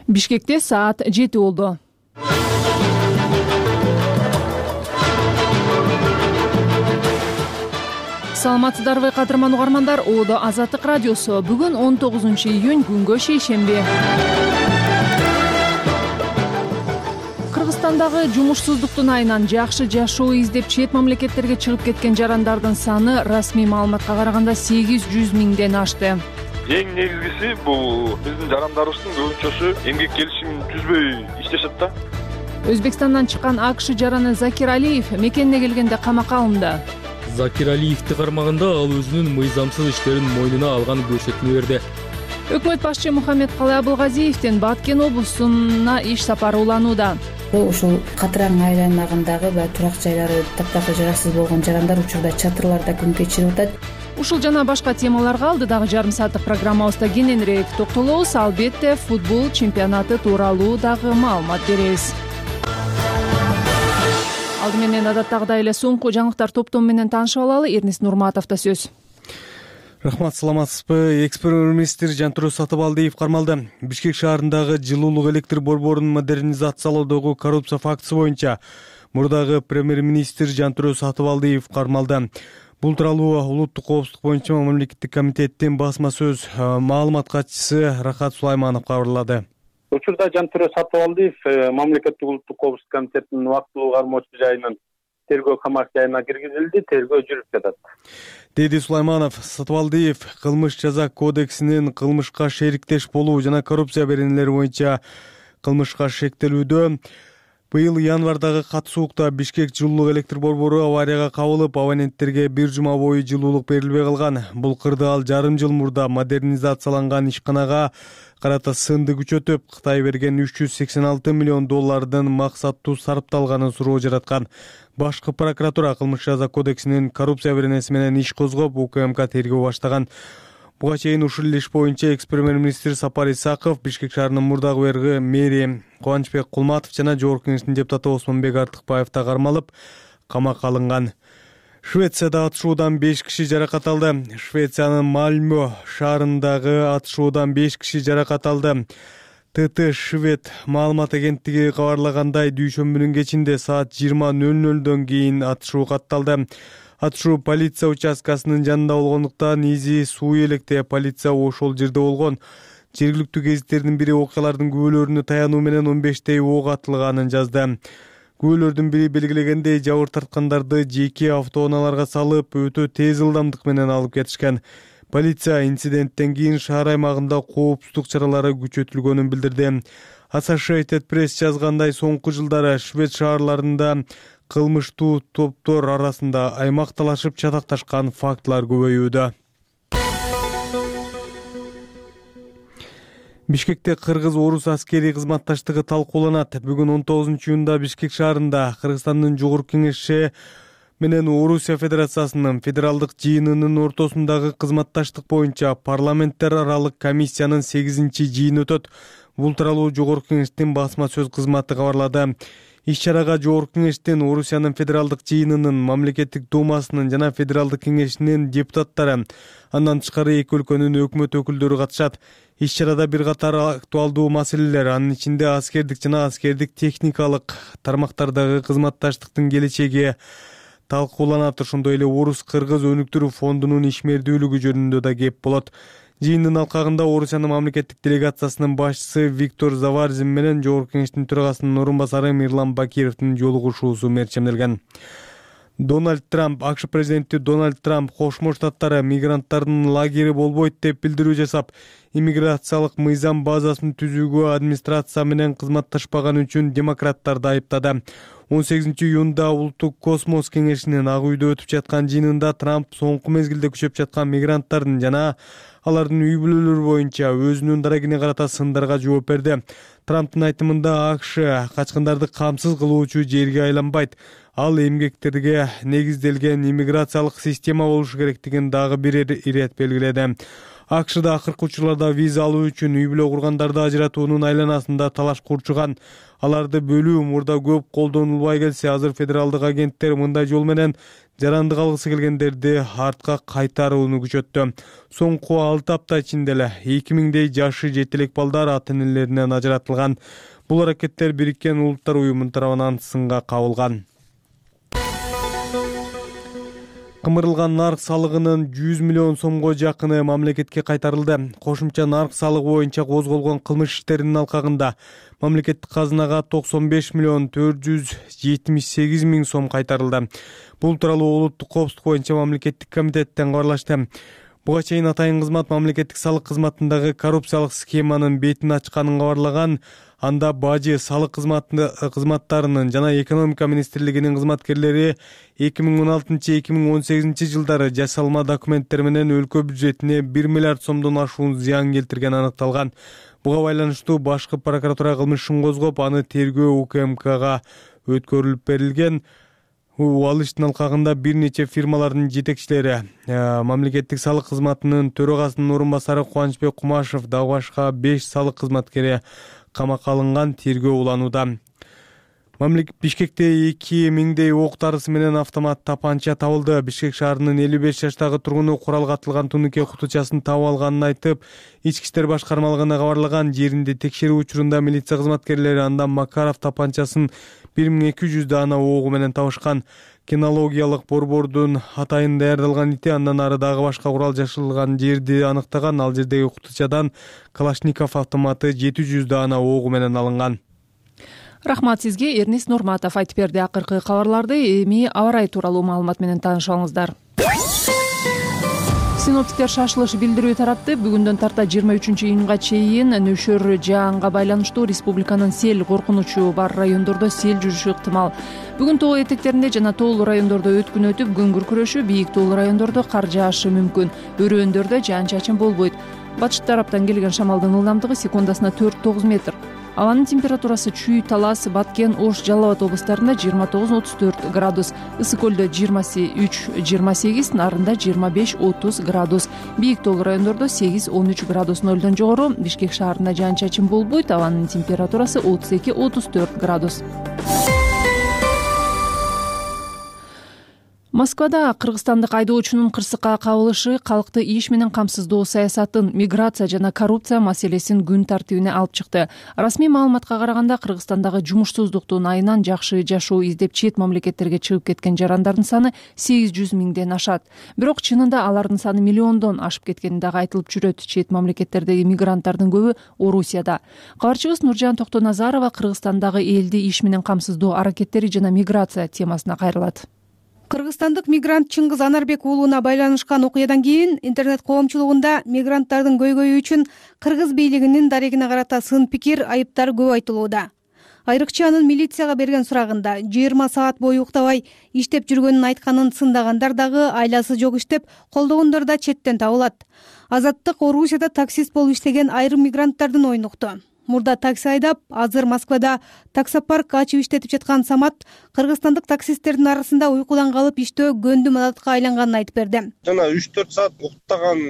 Бишкекте саат 7 болду. Саламатсыздарбы кадырман угармандар, Оодо Азаттык радиосу. Бүгүн 19-июнь, күнгө шейшемби. Кыргызстандагы жумушсуздуктун айынан жакшы жашоо издеп чет мамлекеттерге чыгып кеткен жарандардын саны расмий маалыматка караганда 800 миңден ашты. Эң негизгиси бул биздин жарандарыбыздын көбүнчөсү эмгек келишимин түзбөй иштешет да. Өзбекстандан чыккан АКШ жараны Закир Алиев мекенине келгенде камакка алынды. Закир Алиевди кармаганда ал өзүнүн мыйзамсыз иштерин мойнуна алган көрсөтмө берди. Өкмөт башчы Мухаммедкалый Абылгазиевдин Баткен облусуна иш сапары уланууда. Ушул Катыраң айланагындагы турак жайлары таптакыр жараксыз болгон жарандар учурда чатырларда күн кечирип атат. Ушул жана башка темаларга алдыдагы жарым сааттык программабызда кененирээк токтолобуз. Албетте, футбол чемпионаты тууралуу дагы маалымат беребиз. Алды менен адаттагыдай эле соңку жаңылыктар топтому менен таанышып алалы. Эрнис Нурматовдо сөз. Рахмат, саламатсызбы? Экс-премьер-министр Жантүрөз Сатыбалдиев кармалды. Бишкек шаарындагы жылуулук электр борборун модернизациялоодогу коррупция фактысы боюнча мурдагы премьер-министр Жантүрөз Сатыбалдиев кармалды. Бул тууралуу улуттук коопсуздук боюнча мамлекеттик комитеттин басма сөз маалымат катчысы Рахат Сулайманов кабарлады. Учурда Жантүрөз Сатыбалдиев мамлекеттик улуттук коопсуздук комитетинин убактылуу кармоочу жайынын тергөө камак жайына киргизилди, тергөө жүрүп жатат, деди Сулайманов. Сатыбалдиев кылмыш жаза кодексинин кылмышка шериктеш болуу жана коррупция беренелери боюнча кылмышка шектелүүдө. Быйыл январдагы катышуукта Бишкек жылуулук электр борбору аварияга кабылып, абоненттерге бир жума бою жылуулук берилбей калган. Бул кырды ал жарым жыл мурда модернизацияланган ишканага карата сынды күчөтүп, Кытай берген $386 миллион максаттуу сарпталганын суроо жараткан. Башкы прокуратура кылмыш жаза кодексинин коррупция беренеси менен иш козгоп, УКМК тергөө баштаган. Буга чейин ушул иш боюнча экс-премьер-министр Сапар Исаков, Бишкек шаарынын мурдагы мэри Кубанычбек Кулматов жана жогорку кеңештин депутаты Осмонбек Артыкбаев да кармалып, камакка алынган. Швецияда атышуудан 5 киши жаракат алды. Швециянын Мальмö шаарындагы атышуудан 5 киши жаракат алды. ТТ Швед маалымат агенттиги кабарлагандай, дүйшөмбүнүн кечинде саат 20:00 кийин атышуу катталды. Атышуу полиция участкасынын жанында болгондуктан изи суу электе полиция ошол жерде болгон. Жергиликтүү гезиттердин бири окуялардын күбөлөрүнө таянуу менен 15 ок атылганын жазды. Күбөлөрдүн бири белгилегендей, жабыр тарткандарды жеке автоунааларга салып, өтө тез ылдамдык менен алып кетишкен. Полиция инциденттен кийин шаар аймагында коопсуздук чаралары күчөтүлгөнүн билдирди. Associated Press жазгандай, соңку жылдары Швед шаарларында кылмыштуу топтор арасында аймакталашып чатакташкан фактылар көбөйүүдө. Бишкекте кыргыз-орус аскерий кызматташтыгы талкууланат. Бүгүн 19-июнда Бишкек шаарында Кыргызстандын жогорку кеңеши менен Орусия Федерациясынын федералдык жыйынынын ортосундагы кызматташтык боюнча парламенттер аралык комиссиянын 8-чи жыйыны өтөт. Бул тууралуу жогорку кеңештин басма сөз кызматы кабарлады. Иш-чарага жогорку кеңештин, Орусиянын федералдык жыйынынын, мамлекеттик думасынын жана федералдык кеңешинин депутаттары, андан тышкары эки өлкөнүн өкмөт өкүлдөрү катышат. Иш-чарада бир катар актуалдуу маселелер, анын ичинде аскердик жана аскердик техникалык тармактардагы кызматташтыктын келечеги талкууланат. Ошондой эле Орус-Кыргыз өнүктүрүү фондунун ишмердүүлүгү жөнүндө да кеп болот. Жыйындын алкагында Орусиянын мамлекеттик делегациясынын башчысы Виктор Заварзин менен жогорку кеңештин төрагасынын орун басары Мирлан Бакировдун жолугушуусу мерчемделген. АКШ президенти Дональд Трамп Кошмо Штаттары мигранттардын лагери болбойт деп билдирүү жасап, иммиграциялык мыйзам базасын түзүүгө администрация менен кызматташпаган үчүн демократтарды айыптады. 18-июнда Улуттук космос кеңешинин Ак үйдө өтүп жаткан жыйынында Трамп соңку мезгилде күчөп жаткан мигранттардын жана алардын үй бүлөлөрү боюнча өзүнүн дарегине карата сындарга жооп берди. Трамптын айтымында АКШ качкындарды камсыз кылуучу жерге айланбайт. Ал эмгектерге негизделген иммиграциялык система болушу керектигин дагы бир ирет белгиледи. АКШда акыркы учурларда виза алуу үчүн үй бүлө кургандарды ажыратуунун айланасында талаш курчуган. Аларды бөлүү мурда көп колдонулбай келсе, азыр федералдык агенттер мындай жол менен жарандык алгысы келгендерди артка кайтарууну күчөттү. Соңку 6 апта ичинде эле 2000дей жашы жете элек балдар ата-энелеринен ажыратылган. Бул аракеттер Бириккен Улуттар уюмунун тарабынан сынга кабылган. Кымырылган нарк салыгынын 100 миллион сомго жакыны мамлекетке кайтарылды. Кошумча нарк салыгы боюнча козголгон кылмыш иштеринин алкагында мамлекеттик казынага 95 миллион 478 миң сом кайтарылды. Бул тууралуу улуттук коопсуздук боюнча мамлекеттик комитеттен кабарлашты. Буга чейин атайын кызмат мамлекеттик салык кызматындагы коррупциялык схеманын бетин ачканын кабарлаган. Анда бажы, салык кызматтарынын жана экономика министрлигинин кызматкерлери 2016-2018 жылдары жасалма документтер менен өлкө бюджетине 1 миллиард сомдон ашуун зыян келтирген аныкталган. Буга байланыштуу башкы прокуратура кылмыш ишин козгоп, аны тергөө УКМКга өткөрүлүп берилген. Ал иштин алкагында бир нече фирмалардын жетекчилери, мамлекеттик салык кызматынын төрагасынын орун басары Кубанычбек Кумашев, дагы башка 5 салык кызматкери камакка алынган, тергөө уланууда. Бишкекте 2000дей ок дарысы менен автомат тапанча табылды. Бишкек шаарынын 55 жаштагы тургуну куралга атылган тунуке кутучасын табып алганын айтып, Ички иштер башкармалыгына кабарлаган. Жеринде текшерүү учурунда милиция кызматкерлери андан Макаров тапанчасын 1200 даана огу менен табышкан. Кинологиялык борбордун атайын даярдалган ити андан ары дагы башка курал жашылган жерди аныктаган. Ал жердеги кутучадан Калашников автоматы 700 даана огу менен алынган. Рахмат сизге, Эрнис Нурматов айтып берди. Акыркы кабарларды эми аба ырайы тууралуу маалымат менен таанышыңыздар. Синоптиктер шашылыш билдирүү таратты. Бүгүндөн тарта 23-июнга чейин нөшөр жаанга байланыштуу республиканын сел коркунучу бар райондордо сел жүрүшү ыктымал. Бүгүн тоо этектеринде жана тоолуу райондордо өткүн өтүп, күн күркүрөшү, бийик тоолуу райондордо кар жаашы мүмкүн. Өрөөндөрдө жаан-чачын болбойт. Батыш тараптан келген шамалдын ылдамдыгы секундасына 4-9 метр. Абанын температурасы Чүй, Талас, Баткен, Ош, Жалал Абад областарында 29-34 градус, Ысык көлдө 23-28, Нарында 25-30 градус, бийик тоолуу райондордо 8-13 градус, нөлдөн жогору. Бишкек шаарында жаан-чачын болбойт, абанын температурасы 32-34 градус. Москвада кыргызстандык айдоочунун кырсыкка кабылышы калкты иш менен камсыздоо саясатын, миграция жана коррупция маселесин күн тартибине алып чыкты. Расмий маалыматка караганда, Кыргызстандагы жумушсуздуктун айынан жакшы жашоо издеп чет мамлекеттерге чыгып кеткен жарандардын саны 800 миңден ашат. Бирок чынында алардын саны миллиондон ашып кеткени дагы айтылып жүрөт. Чет мамлекеттердеги мигранттардын көбү Орусияда. Кабарчыбыз Нуржан Токтоназарова Кыргызстандагы элди иш менен камсыздоо аракеттери жана миграция темасына кайрылат. Кыргызстандык мигрант Чыңгыз Анарбек уулуна байланышкан окуядан кийин интернет коомчулугунда мигранттардын көйгөйү үчүн кыргыз бийлигинин дарегине карата сын пикир, айыптар көп айтылууда. Айрыкча анын милицияга берген сурагында 20 саат бою уктабай иштеп жүргөнүн айтканын сындагандар дагы айласы жок иштеп, колдогондор да четтен табылат. Азаттык Орусияда таксист болуп иштеген айрым мигранттардын оюн укту. Мурда такси айдап, азыр Москвада таксопарк ачып иштетип жаткан Самат кыргызстандык таксисттердин арасында уйкудан калып иштөө көндүм адатка айланганын айтып берди. Жана 3-4 саат уктаган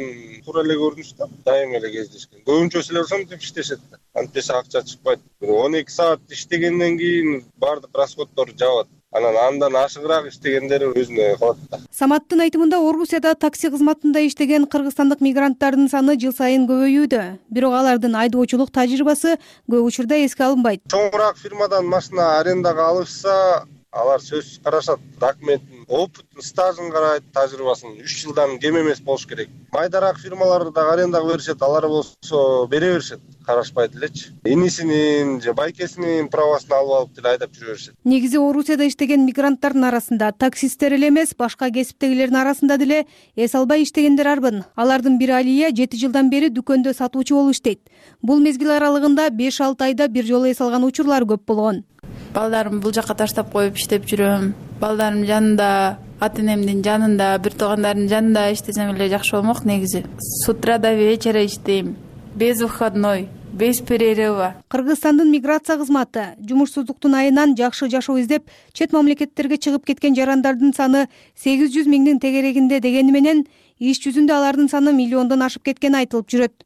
туура эле көрүнүш да, дайым эле кездешкен. Көбүнчөсү эле ошентип иштешет да. Антесе акча чыкпайт. 12 саат иштегенден кийин баардык расходдор жабат. Андан ашыгыраак иштегендери өзүнө калат да. Саматтын айтымында Орусияда такси кызматында иштеген кыргызстандык мигранттардын саны жыл сайын көбөйүүдө. Бирок алардын айдоочулук тажрыйбасы көп учурда эске алынбайт. Чоңураак фирмадан машина арендага алышса, алар сөзсүз карашат. Документтин, опытын, стажын карайт, тажрыйбасын 3 жылдан кем эмес болуш керек. Майдараак фирмаларды да арендага беришет, алар болсо бере беришет. Карашпайт элечи. Инисинин же байкесинин правосын алып деле айдап жүрө беришет. Негизи Орусияда иштеген мигранттардын арасында таксисттер эле эмес, башка кесиптегилердин арасында деле эс албай иштегендер арбын. Алардын бири Алия 7 жылдан бери дүкөндө сатуучу болуп иштейт. Бул мезгил аралыгында 5-6 айда бир жолу эс алган учурлар көп болгон. Балдарым бул жака таштап коюп иштеп жүрөм. Балдарым жанында, ата-энемдин жанында, бир туугандардын жанында иштесем эле жакшы болмок негизи. С утра до вечера иштейм. Без выходной, без перерыва. Кыргызстандын миграция кызматы жумушсуздуктун айынан жакшы жашоо издеп, чет мамлекеттерге чыгып кеткен жарандардын саны 800 миңдин тегерегинде дегени менен, иш жүзүндө алардын саны миллиондон ашып кеткени айтылып жүрөт.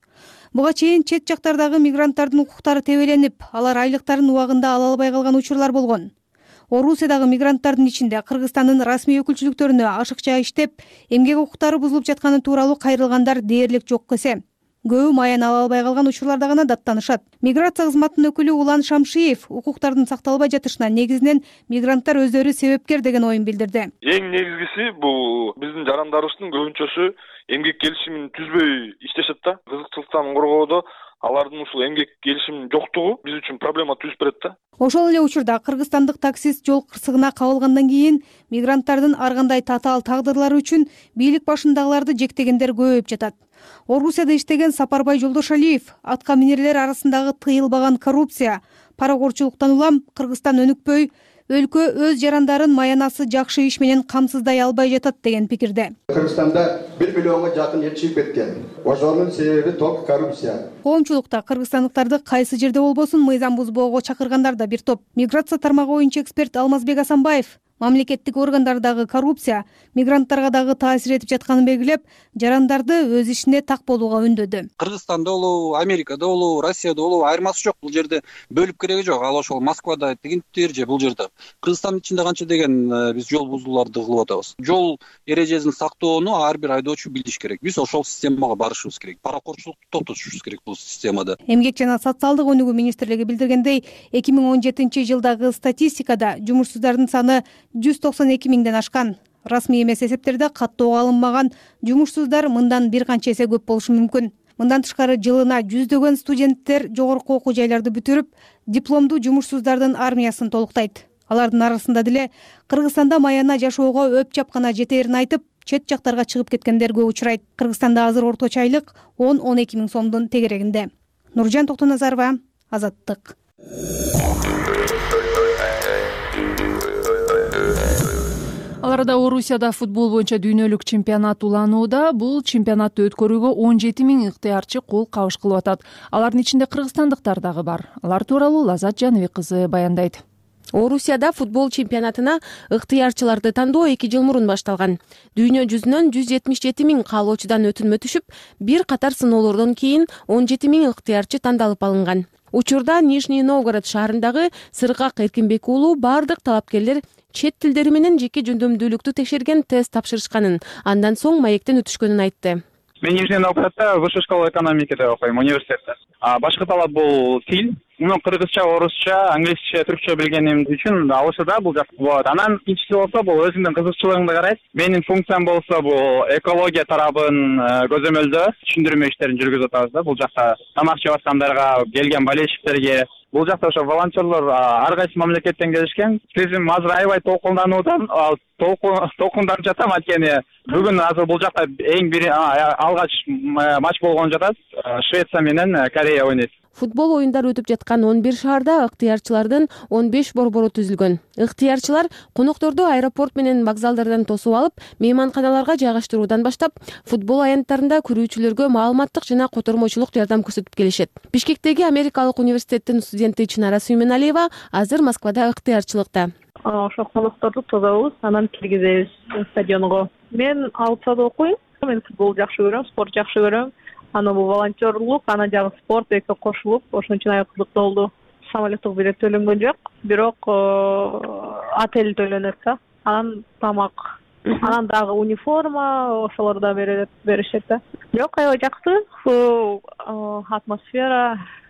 Буга чейин чет жактардагы мигранттардын укуктары тебеленип, алар айлыктарын убагында ала албай калган учурлар болгон. Орусиядагы мигранттардын ичинде Кыргызстандын расмий өкүлчүлүктөрүнө ашыкча иштеп, эмгек укуктары бузулуп жатканы тууралуу кайрылгандар дээрлик жок эсе. Көбү маян ала албай калган учурларда гана даттанышат. Миграция кызматынын өкүлү Улан Шамшиев укуктардын сакталбай жатышына негизинен мигранттар өздөрү себепкер деген оюн билдирди. Эң негизгиси бул биздин жарандарыбыздын көбүнчөсү эмгек келишимин түзбөй иштешет да. Кызыкчылыктан коргоодо алардын ушул эмгек келишиминин жоктугу биз үчүн проблема түзүп берет да. Ошол эле учурда кыргызстандык таксист жол кырсыгына кабылгандан кийин мигранттардын ар кандай татаал тагдырлары үчүн бийлик башындагыларды жектегендер көбөйүп жатат. Орусияда иштеген Сапарбай Жолдошалиев атка минерлер арасындагы тыйылбаган коррупция, паракорчулуктан улам Кыргызстан өнүкпөй, өлкө өз жарандарын маянасы жакшы иш менен камсыздай албай жатат деген пикирде. Кыргызстанда 1 миллионго жакын эл чыгып кеткен. Ошонун себеби только коррупция. Коомчулукта кыргызстандыктарды кайсы жерде болбосун мыйзам бузбоого чакыргандар да бир топ. Миграция тармагы боюнча эксперт Алмазбек Асанбаев мамлекеттик органдардагы коррупция мигранттарга дагы таасир этип жатканын белгилеп, жарандарды өз ишине так болууга үндөдү. Кыргызстанда болобу, Америкада болобу, Россияда болобу айырмасы жок. Бул жерде бөлүп кереги жок. Ал ошол Москвада тигинтир же бул жерде. Кыргызстандын ичинде канча деген биз жол бузууларды кылып атабыз. Жол эрежесин сактоону ар бир айдоочу билиш керек. Биз ошол системага барышыбыз керек. Паракорчулукту токтотушубуз керек бул системада. Эмгек жана социалдык өнүгүү министрлиги билдиргендей, 2017-жылдагы статистикада жумушсуздардын саны 192 миңден ашкан. Расмий эмес эсептерде каттоого алынмаган жумушсуздар мындан бир канча эсе көп болушу мүмкүн. Мындан тышкары жылына жүздөгөн студенттер жогорку окуу жайларды бүтүрүп, дипломдуу жумушсуздардын армиясын толуктайт. Алардын арасында деле Кыргызстанда маяна жашоого өп чапкана жетээрин айтып, чет жактарга чыгып кеткендер көп учурайт. Кыргызстанда азыр орточо айлык 10-12 миң сомдун тегерегинде. Нуржан Токтоназарова, Азаттык. Ал арада Орусияда футбол боюнча дүйнөлүк чемпионат уланууда. Бул чемпионатты өткөрүүгө 17 миң ыктыярчы кол кабыш кылып атат. Алардын ичинде кыргызстандыктар дагы бар. Алар тууралуу Лазат Жаныбек кызы баяндайт. Орусияда футбол чемпионатына ыктыярчыларды тандоо 2 жыл мурун башталган. Дүйнө жүзүнөн 177 миң каалоочудан өтүнмө түшүп, бир катар сыноолордон кийин 17 миң ыктыярчы тандалып алынган. Учурда Нижний Новгород шаарындагы Сыргак Эркинбек уулу бардык талапкерлер чет тилдери менен жеке жөндөмдүүлүктү текшерген тест тапшырышканын, андан соң маектен өтүшкөнүн айтты. Мен Нижний Новгороддо Высшая школа экономикада окуйм, университетте. Башкы талап бул тил. Кыргызча, орусча, англисче, түркчө билгеним үчүн алышыда бул жакты болот. Анан экинчиси болсо бул өзүңдүн кызыкчылыгыңды карайт. Менин функциям болсо бул экология тарабын көзөмөлдөө, түшүндүрмө иштерин жүргүзүп атабыз да. Бул жакта тамак жеп аткандарга, келген болельщиктерге, бул жакта ошо волонтерлор ар кайсы мамлекеттен келишкен. Тизим азыр аябай толкундануудан, толкунданып жатам, анткени бүгүн азыр бул жакта эң бир алгач матч болгон жатат. Швеция менен Корея ойнойт. Футбол оюндары өтүп жаткан 11 шаарда ыктыярчылардын 15 борбору түзүлгөн. Ыктыярчылар конокторду аэропорт менен вокзалдардан тосуп алып, мейманканаларга жайгаштыруудан баштап, футбол аянттарында көрүүчүлөргө маалыматтык жана котормочулук жардам көрсөтүп келишет. Бишкектеги Америкалык университеттин студенти Чынара Сүймөналиева азыр Москвада ыктыярчылыкта. Ошо конокторду тособуз, анан киргизебиз стадионго. Мен Алсада окуйм. Мен футбол жакшы көрөм, спорт жакшы көрөм. Аны бул волонтерлук, ана жагы спорт эки кошулуп, ошон үчүн аябай кызыктуу болду. Самолеттик билет төлөнгөн жок, бирок отель төлөнөт да. Анан тамак, анан дагы униформа, ошолор да беришет да. Жок, аябай жакшы.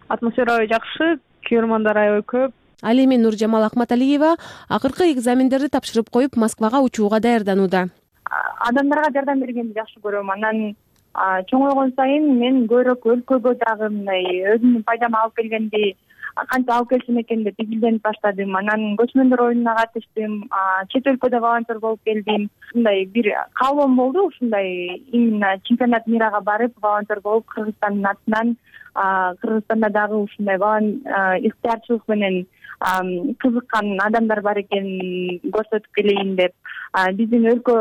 Атмосфера жакшы, көрөрмандар аябай көп. Ал эми Нуржамал Акматалиева акыркы экзамендерди тапшырып коюп, Москвага учууга даярданууда. Адамдарга жардам бергенди жакшы көрөм. Анан чоңойгон сайын мен көбүрөөк өлкөгө дагы мындай өзүмдүн пайдама алып келгенди канча алып келсем экен деп изилденип баштадым. Анан көчмөндөр оюнуна катыштым, чет өлкөдө волонтер болуп келдим. Ушундай бир каалоом болду, ушундай именно чемпионат мирага барып волонтер болуп Кыргызстандын атынан Кыргызстанда дагы ушундай ыктыярчылык менен кызыккан адамдар бар экенин көрсөтүп келейин деп. Биздин өлкө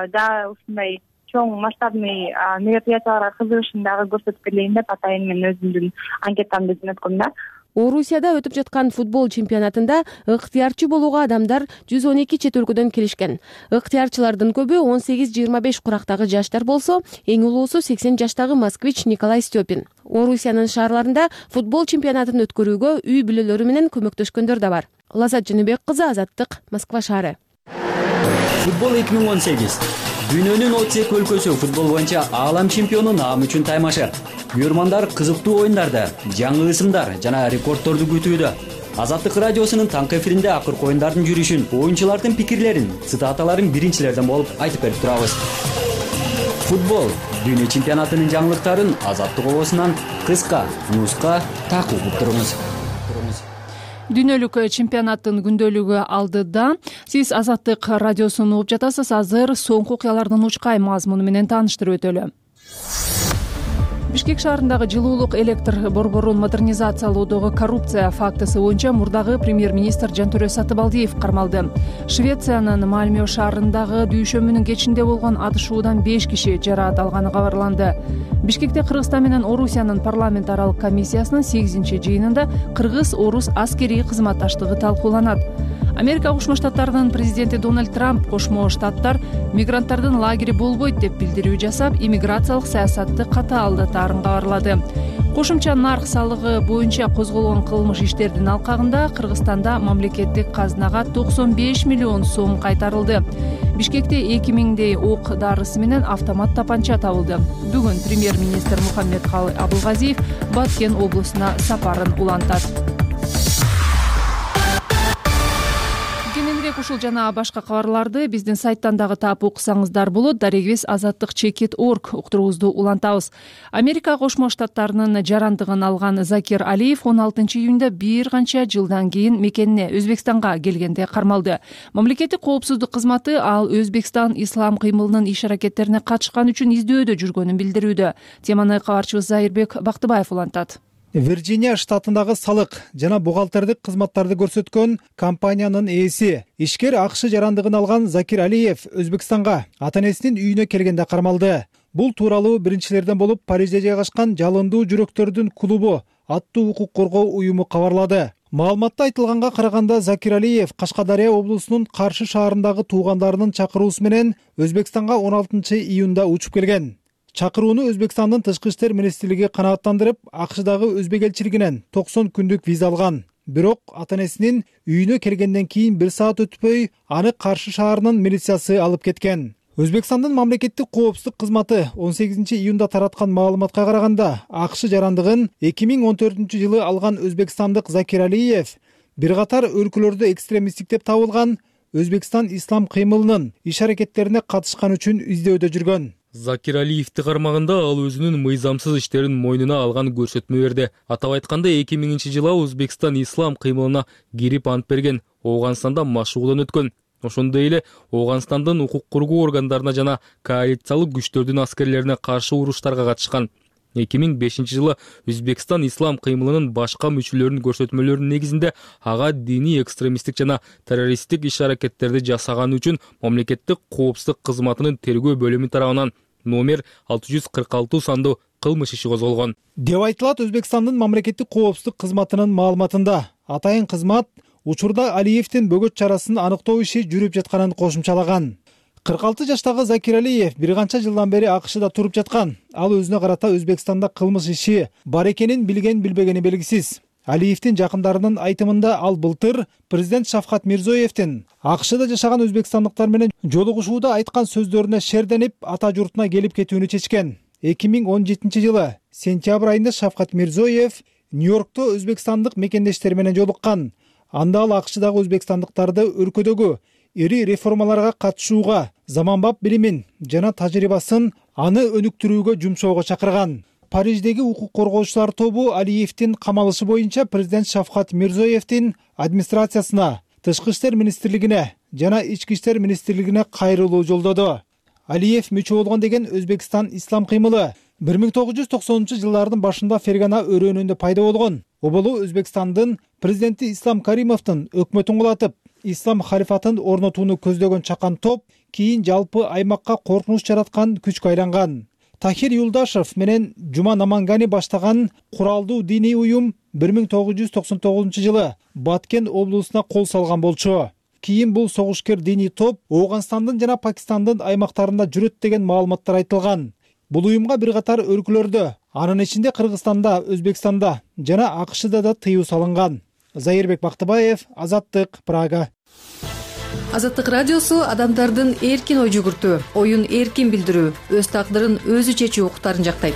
да ушундай чоң масштабный мероприятияларга кызыгышын дагы көрсөтүп келейин деп атайын мен өзүмдүн анкетамды жөнөткөм да. Орусияда өтүп жаткан футбол чемпионатында ыктыярчы болууга адамдар 112 чет өлкөдөн келишкен. Ыктыярчылардын көбү 18-25 курактагы жаштар болсо, эң улуусу 80 жаштагы москвич Николай Степин. Орусиянын шаарларында футбол чемпионатын өткөрүүгө үй бүлөлөрү менен көмөктөшкөндөр да бар. Лазат Жаныбек кызы, Азаттык, Москва шаары. Футбол 2018. Дүйнөнүн 32 өлкөсү футбол боюнча аалам чемпиону наам үчүн таймашы. Көрмандар кызыктуу оюндарды, жаңы ысымдар жана рекордторду күтүүдө. Азаттык радиосунун таңкы эфиринде акыркы оюндардын жүрүшүн, оюнчулардын пикирлерин, цитаталарын биринчилерден болуп айтып берип турабыз. Футбол дүйнө чемпионатынын жаңылыктарын Азаттык обосунан кыска, нуска такып угуп туруңуз. Дүйнөлүк чемпионаттын күндөлүгү алдыда. Сиз Азаттык радиосун угуп жатасыз. Азыр соңку окуялардын учкай мазмуну менен тааныштырып өтөлү. Бишкек шаарындагы жылуулук электр борборун модернизациялоодогу коррупция фактысы боюнча мурдагы премьер-министр Жантөрө Сатыбалдиев кармалды. Швециянын Мальмё шаарындагы дүйшөмүнүн кечинде болгон атышуудан 5 киши жараат алганы кабарланды. Бишкекте Кыргызстан менен Орусиянын парламент аралык комиссиясынын 8-жыйынында кыргыз-орус аскерий кызматташтыгы талкууланат. Америка Кошмо Штаттарынын президенти Дональд Трамп Кошмо Штаттар мигранттардын лагери болбойт деп билдирүү жасап, иммиграциялык саясатты катаалдатаарын кабарлады. Кошумча нарк салыгы боюнча козголгон кылмыш иштердин алкагында Кыргызстанда мамлекеттик казынага 95 миллион сом кайтарылды. Бишкекте 2000дей ок дарысы менен автомат тапанча табылды. Бүгүн премьер-министр Мухаммедкалый Абылгазиев Баткен облусуна сапарын улантат. Ушул жана башка кабарларды биздин сайттан дагы таап окусаңыздар болот. Дарегибиз azattik.org уктуруубузду улантабыз. Америка Кошмо Штаттарынын жарандыгын алган Закир Алиев 16-июнда бир канча жылдан кийин мекенине Өзбекстанга келгенде кармалды. Мамлекеттик коопсуздук кызматы ал Өзбекстан ислам кыймылынын иш-аракеттерине катышкан үчүн издөөдө жүргөнүн билдирүүдө. Теманы кабарчыбыз Зайырбек Бактыбаев улантат. Вирджиния штатындагы салык жана бухгалтердик кызматтарды көрсөткөн компаниянын ээси ишкер АКШ жарандыгын алган Закир Алиев Өзбекстанга ата-энесинин үйүнө келгенде кармалды. Бул тууралуу биринчилерден болуп Парижде жайгашкан Жалындуу жүрөктөрдүн клубу аттуу укук коргоо уюму кабарлады. Маалыматта айтылганга караганда Закир Алиев Кашкадария облусунун Каршы шаарындагы туугандарынын чакыруусу менен Өзбекстанга 16-июнда учуп келген. Чакырууну Өзбекстандын тышкы иштер министрлиги канааттандырып, АКШдагы өзбек элчилигинен 90 күндүк виза алган. Бирок ата-энесинин үйүнө келгенден кийин 1 саат өтпөй аны Каршы шаарынын милициясы алып кеткен. Өзбекстандын мамлекеттик коопсуздук кызматы 18-июнда тараткан маалыматка караганда, АКШ жарандыгын 2014-жылы алган өзбекстандык Закир Алиев бир катар өлкөлөрдө экстремисттик деп табылган Өзбекстан ислам кыймылынын иш-аракеттерине катышкан үчүн издөөдө жүргөн. Закир Алиевти кармаганда ал өзүнүн мыйзамсыз иштерин мойнуна алган көрсөтмө берди. Атап айтканда 2000-жылы Өзбекстан ислам кыймылына кирип ант берген, Ооганстанда машыгуудан өткөн. Ошондой эле Ооганстандын укук коргоо органдарына жана коалициялык күчтөрдүн аскерлерине каршы уруштарга катышкан. 2005-жылы Өзбекстан ислам кыймылынын башка мүчөлөрүнүн көрсөтмөлөрүнүн негизинде ага диний экстремисттик жана террористтик иш-аракеттерди жасаганы үчүн мамлекеттик коопсуздук кызматынын тергөө бөлүмү тарабынан номер 646 сандуу кылмыш иши козголгон деп айтылат. Өзбекстандын мамлекеттик коопсуздук кызматынын маалыматында атайын кызмат учурда Алиевдин бөгөт чарасын аныктоо иши жүрүп жатканын кошумчалаган. 46 жаштагы Закир Алиев бир канча жылдан бери АКШда туруп жаткан. Ал өзүнө карата Өзбекстанда кылмыш иши бар экенин билген билбегени белгисиз. Алиевдин жакындарынын айтымында ал былтыр президент Шавкат Мирзоевдин АКШда жашаган өзбекстандыктар менен жолугушууда айткан сөздөрүнө шерденип, ата журтуна келип кетүүнү чечкен. 2017-жылы сентябрь айында Шавкат Мирзоев Нью-Йоркто өзбекстандык мекендештери менен жолуккан. Анда ал АКШдагы өзбекстандыктарды өлкөдөгү ири реформаларга катышууга, заманбап билимин жана тажрыйбасын аны өнүктүрүүгө жумшоого чакырган. Париждеги укук коргоочулар тобу Алиевдин камалышы боюнча президент Шавкат Мирзоевдин администрациясына, тышкы иштер министрлигине жана ички иштер министрлигине кайрылуу жолдоду. Алиев мүчө болгон деген Өзбекстан ислам кыймылы 1990-жылдардын башында Фергана өрөөнүндө пайда болгон. Оболу Өзбекстандын президенти Ислам Каримовдун өкмөтүн кулатып, ислам халифатын орнотууну көздөгөн чакан топ кийин жалпы аймакка коркунуч жараткан күчкө айланган. Тахир Юлдашев менен Жума Намангани баштаган куралдуу диний уюм 1999-жылы Баткен облусуна кол салган болчу. Кийин бул согушкер диний топ Ооганстандын жана Пакистандын аймактарында жүрөт деген маалыматтар айтылган. Бул уюмга бир катар өлкөлөрдө, анын ичинде Кыргызстанда, Өзбекстанда жана АКШда да тыюу салынган. Зайырбек Бактыбаев, Азаттык, Прага. Азаттык радиосу адамдардын эркин ой жүгүртүү, оюн эркин билдирүү, өз тагдырын өзү чечүү укуктарын жактайт.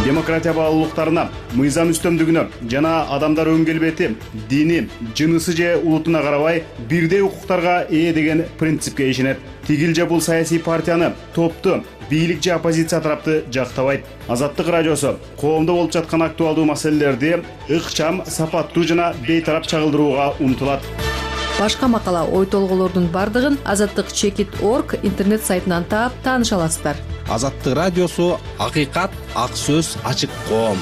Демократия баалуулуктарына, мыйзам үстөмдүгүнө жана адамдар өң келбети, дини, жынысы же улутуна карабай бирдей укуктарга ээ деген принципке ишенет. Тигил же бул саясий партияны, топту, бийлик же оппозиция тарапты жактабайт. Азаттык радиосу коомдо болуп жаткан актуалдуу маселелерди ыкчам, сапаттуу жана бейтарап чагылдырууга умтулат. Башка макала, ой толгоолордун бардыгын azattik.org интернет сайтынан таап тааныша аласыздар. Азаттык радиосу акыйкат, ак сөз, ачык коом.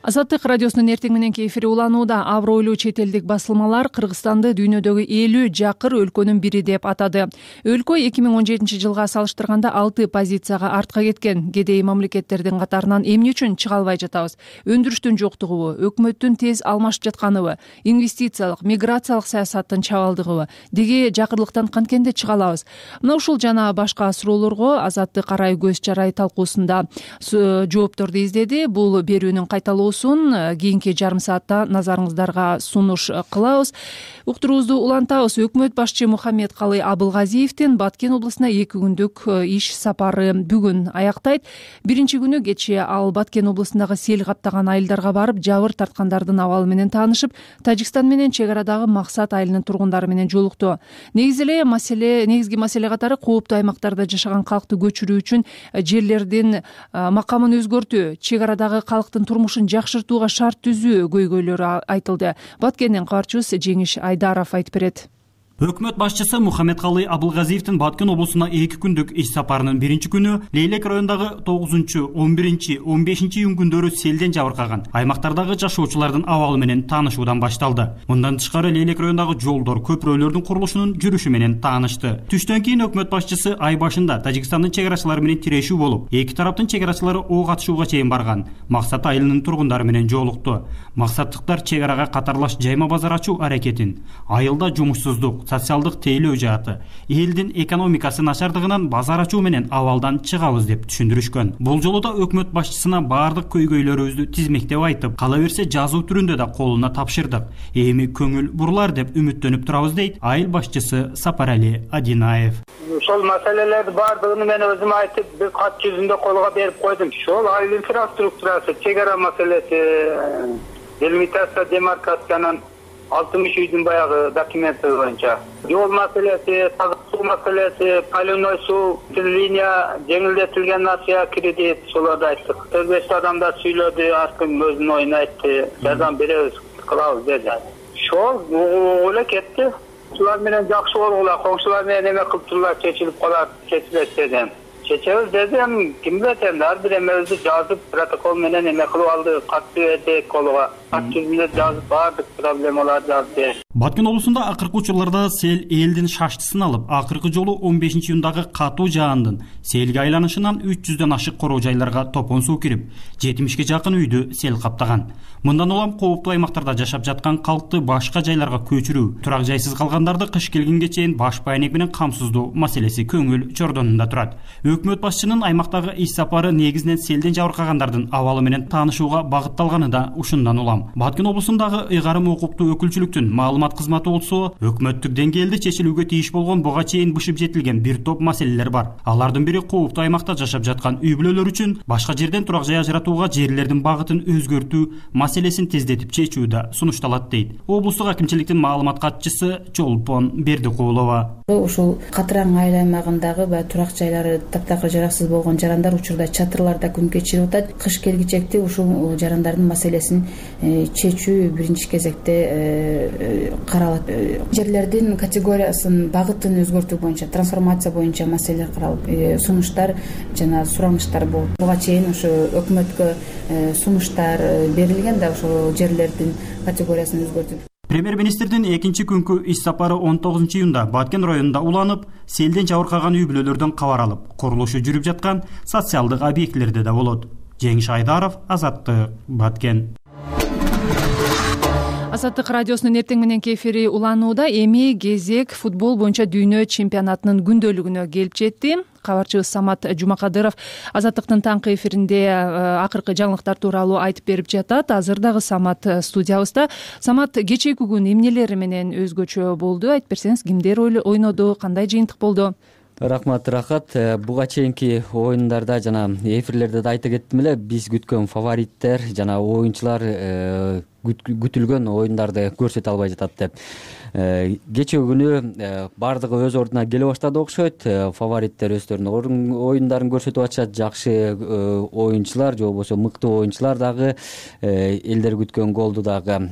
Азаттык радиосунун эртең мененки эфири уланууда. Абройлуу чет элдик басылмалар Кыргызстанды дүйнөдөгү 50 жакыр өлкөнүн бири деп атады. Өлкө 2017-жылга салыштырганда 6 позицияга артка кеткен. Кедей мамлекеттердин катарынан эмне үчүн чыга албай жатабыз? Өндүрүштүн жоктугубу, өкмөттүн тез алмашып жатканыбы, инвестициялык, миграциялык саясаттын чабалдыгыбы? Деги жакырлыктан канткенде чыга алабыз? Мына ушул жана башка суроолорго Азаттык арай көз чарай талкуусунда жоопторду издеди. Бул берүүнүн кайталоосун кийинки жарым саатта назарыңыздарга сунуш кылабыз. Уктуруубузду улантабыз. Өкмөт башчы Мухаммедкалый Абылгазиевдин Баткен облусуна 2 күндүк иш сапары бүгүн аяктайт. Биринчи күнү кечээ ал Баткен облусундагы сел каптаган айылдарга барып, жабыр тарткандардын абалы менен таанышып, Тажикстан менен чек арадагы Максат айылынын тургундары менен жолукту. Негизги маселе катары кооптуу аймактарда жашаган калкты көчүрүү үчүн жерлердин макамын өзгөртүү, чек арадагы калктын турмушун жакшыртууга шарт түзүү көйгөйлөрү айтылды. Баткенден кабарчыбыз Жеңиш Айдаров айтып берет. Өкмөт башчысы Мухаммедкалый Абылгазиевдин Баткен облусуна 2 күндүк иш сапарынын биринчи күнү Лейлек районундагы 9, 11, 15 июнь күндөрү селден жабыркаган аймактардагы жашоочулардын абалы менен таанышуудан башталды. Мындан тышкары Лейлек районундагы жолдор, көпүрөлөрдүн курулушунун жүрүшү менен таанышты. Түштөн кийин өкмөт башчысы ай башында Тажикстандын чек арачылары менен тирешүү болуп, эки тараптын чек арачылары ок атышууга чейин барган. Максат айылынын тургундары менен жолукту. Максаттыктар чек арага катарлаш жайма базар ачуу аракетин, айылда жумушсуздук, социалдык тейлөө жааты, элдин экономикасы начардыгынан базар ачуу менен абалдан чыгабыз деп түшүндүрүшкөн. Бул жолу да өкмөт башчысына баардык көйгөйлөрүбүздү тизмектеп айтып, кала берсе жазуу түрүндө да колуна тапшырдык. Эми көңүл бурлар деп үмүттөнүп турабыз дейт айыл башчысы Сапарали Адинаев. Ошол маселелерди баардыгын мен өзүм айтып, бир кат жүзүндө колго берип койдум. Ошол айыл инфраструктурасы, чек ара маселеси, делимитация, демаркациянын 60 үйдүн баягы документи боюнча, жол маселеси, таза суу маселеси, полевной суу, линия жеңилдетилген насыя кредит, соларды айттык. 4-5 адамдар сүйлөдү, аркым өзүнүн оюн айтты, жардам беребиз, кылабыз деди. Ошол эле кетти. Ушулар менен жакшы болгула, коңшулар менен эме кылып турлар, чечилип калат, чечилет дедим. Чечебиз дедим, ким билет энди, ар бир эмебизди жазып, протокол менен эме кылып алды, катты бердик колго. Кат жүзүндө жазып, баардык проблемаларды жазды. Баткен облусунда акыркы учурларда сел элдин шаштысын алып, акыркы жолу 15 июндагы катуу жаандын селге айланышынан 300дөн ашык короо жайларга топон суу кирип, 70ге жакын үйдү сел каптаган. Мындан улам кооптуу аймактарда жашап жаткан калкты башка жайларга көчүрүү, турак жайсыз калгандарды кыш келгенге чейин баш байнек менен камсыздоо маселеси көңүл чордонунда турат. Өкмөт башчынын аймактагы иш сапары негизинен селден жабыркагандардын абалы менен таанышууга багытталганы да ушундан улам. Баткен облусундагы ыйгарым укуктуу өкүлчүлүктүн маалымат кызматы болсо, өкмөттүк деңгээлде чечилүүгө тийиш болгон буга чейин бышып жетилген бир топ маселелер бар. Алардын бири кооптуу аймакта жашап жаткан үй бүлөлөр үчүн башка жерден турак жай ажыратууга жерлердин багытын өзгөртүү маселесин тездетип чечүүдө сунушталат дейт облустук акимчиликтин маалымат катчысы Чолпон Бердикулова. Ушул Катыраң айыл аймагындагы турак жайлары таптакыр жараксыз болгон жарандар учурда чатырларда күн кечирип атат. Кыш келгичекте ушул жарандардын маселесин чечүү биринчи кезекте каралат. Жерлердин категориясын, багытын өзгөртүү боюнча, трансформация боюнча маселелер каралып, сунуштар жана сураныштар болуп, буга чейин ушу өкмөткө сунуштар берилген да ошол жерлердин категориясын өзгөртүп. Премьер-министрдин экинчи күнкү иш сапары 19 июнда Баткен районунда уланып, селден жабыркаган үй бүлөлөрдөн кабар алып, курулушу жүрүп жаткан социалдык объектилерде да болот. Жеңиш Айдаров, Азаттык, Баткен. Азаттык радиосунун эртең мененки эфири уланууда. Эми кезек футбол боюнча дүйнө чемпионатынын күндөлүгүнө келип жетти. Кабарчыбыз Самат Жумакадыров Азаттыктын таңкы эфиринде акыркы жаңылыктар тууралуу айтып берип жатат. Азыр дагы Самат студиябызда. Самат, кечээки күн эмнелери менен өзгөчө болду? Айтып берсеңиз, кимдер ойноду, кандай жыйынтык болду? Рахмат, Рахат. Буга чейинки оюндарда жана эфирлерде да айта кеттим эле, биз күткөн фавориттер жана оюнчулар күтүлгөн оюндарды көрсөтө албай жатат деп. Кечээ күнү баардыгы өз ордуна келе баштады окшойт. Фавориттер өздөрүнүн оюндарын көрсөтүп атышат. Жакшы оюнчулар же болбосо мыктуу оюнчулар дагы элдер күткөн голду дагы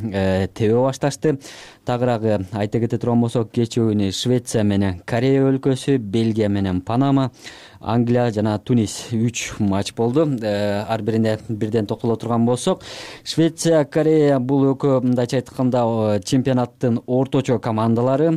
тебе башташты. Тагыраагы айта кете турган болсок, кечээ күнү Швеция менен Корея өлкөсү, Бельгия менен Панама, Англия жана Тунис 3 матч болду. Ар бирине бирден токтоло турган болсок, Швеция, Корея бул экөө мындайча айтканда чемпионаттын орточо командалары.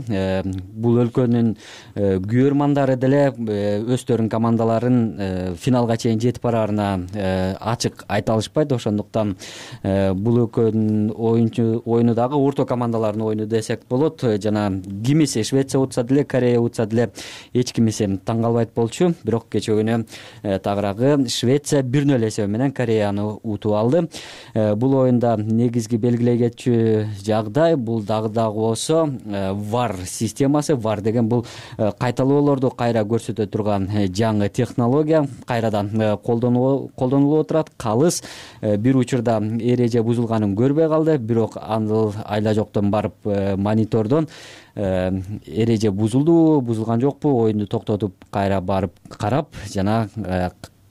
Бул өлкөнүн күйөрмандары деле өздөрүнүн командаларын финалга чейин жетип бараарына ачык айта алышпайт. Ошондуктан бул өлкөнүн оюну дагы орто командалардын оюну десек болот. Жана кимиси Швеция утса деле, Корея утса деле эч кимиси таң калбайт болчу. Бирок кечээ күнү тагыраагы Швеция 1-0 эсеби менен Кореяны утуп алды. Бул оюнда негизги белгилей кетчү жагдай бул дагы болсо VAR системасы. VAR деген бул кайталоолорду кайра көрсөтө турган жаңы технология. Кайрадан колдонулуп отурат. Калыс бир учурда эреже бузулганын көрбөй калды, бирок аны айла жоктон барып монитордон эреже бузулган жокпу, оюнду токтотуп кайра барып карап, жана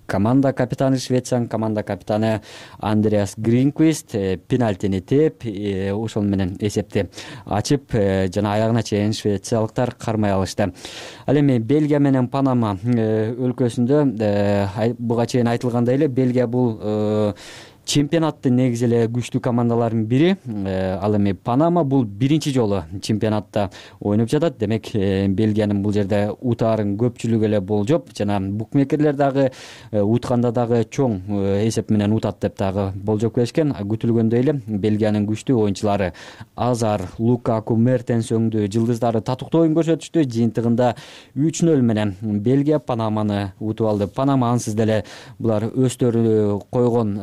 команда капитаны, Швециянын команда капитаны Андреас Гринквист пенальтини тээп, ошол менен эсепти ачып, жана аягына чейин швециялыктар кармай алышты. Ал эми Бельгия менен Панама өлкөсүндө буга чейин айтылгандай эле, Бельгия бул чемпионаттын негизи эле күчтүү командалардын бири. Ал эми Панама бул биринчи жолу чемпионатта ойноп жатат. Демек, Бельгиянын бул жерде утаарын көпчүлүгү эле болжоп, жана букмекерлер дагы утканда дагы чоң эсеп менен утат деп дагы болжоп келишкен. Күтүлгөндөй эле Бельгиянын күчтүү оюнчулары Азар, Лукаку, Мертенс өңдүү жылдыздары татыктуу оюн көрсөтүштү. Жыйынтыгында 3-0 менен Бельгия Панаманы утуп алды. Панама ансыз деле булар өздөрү койгон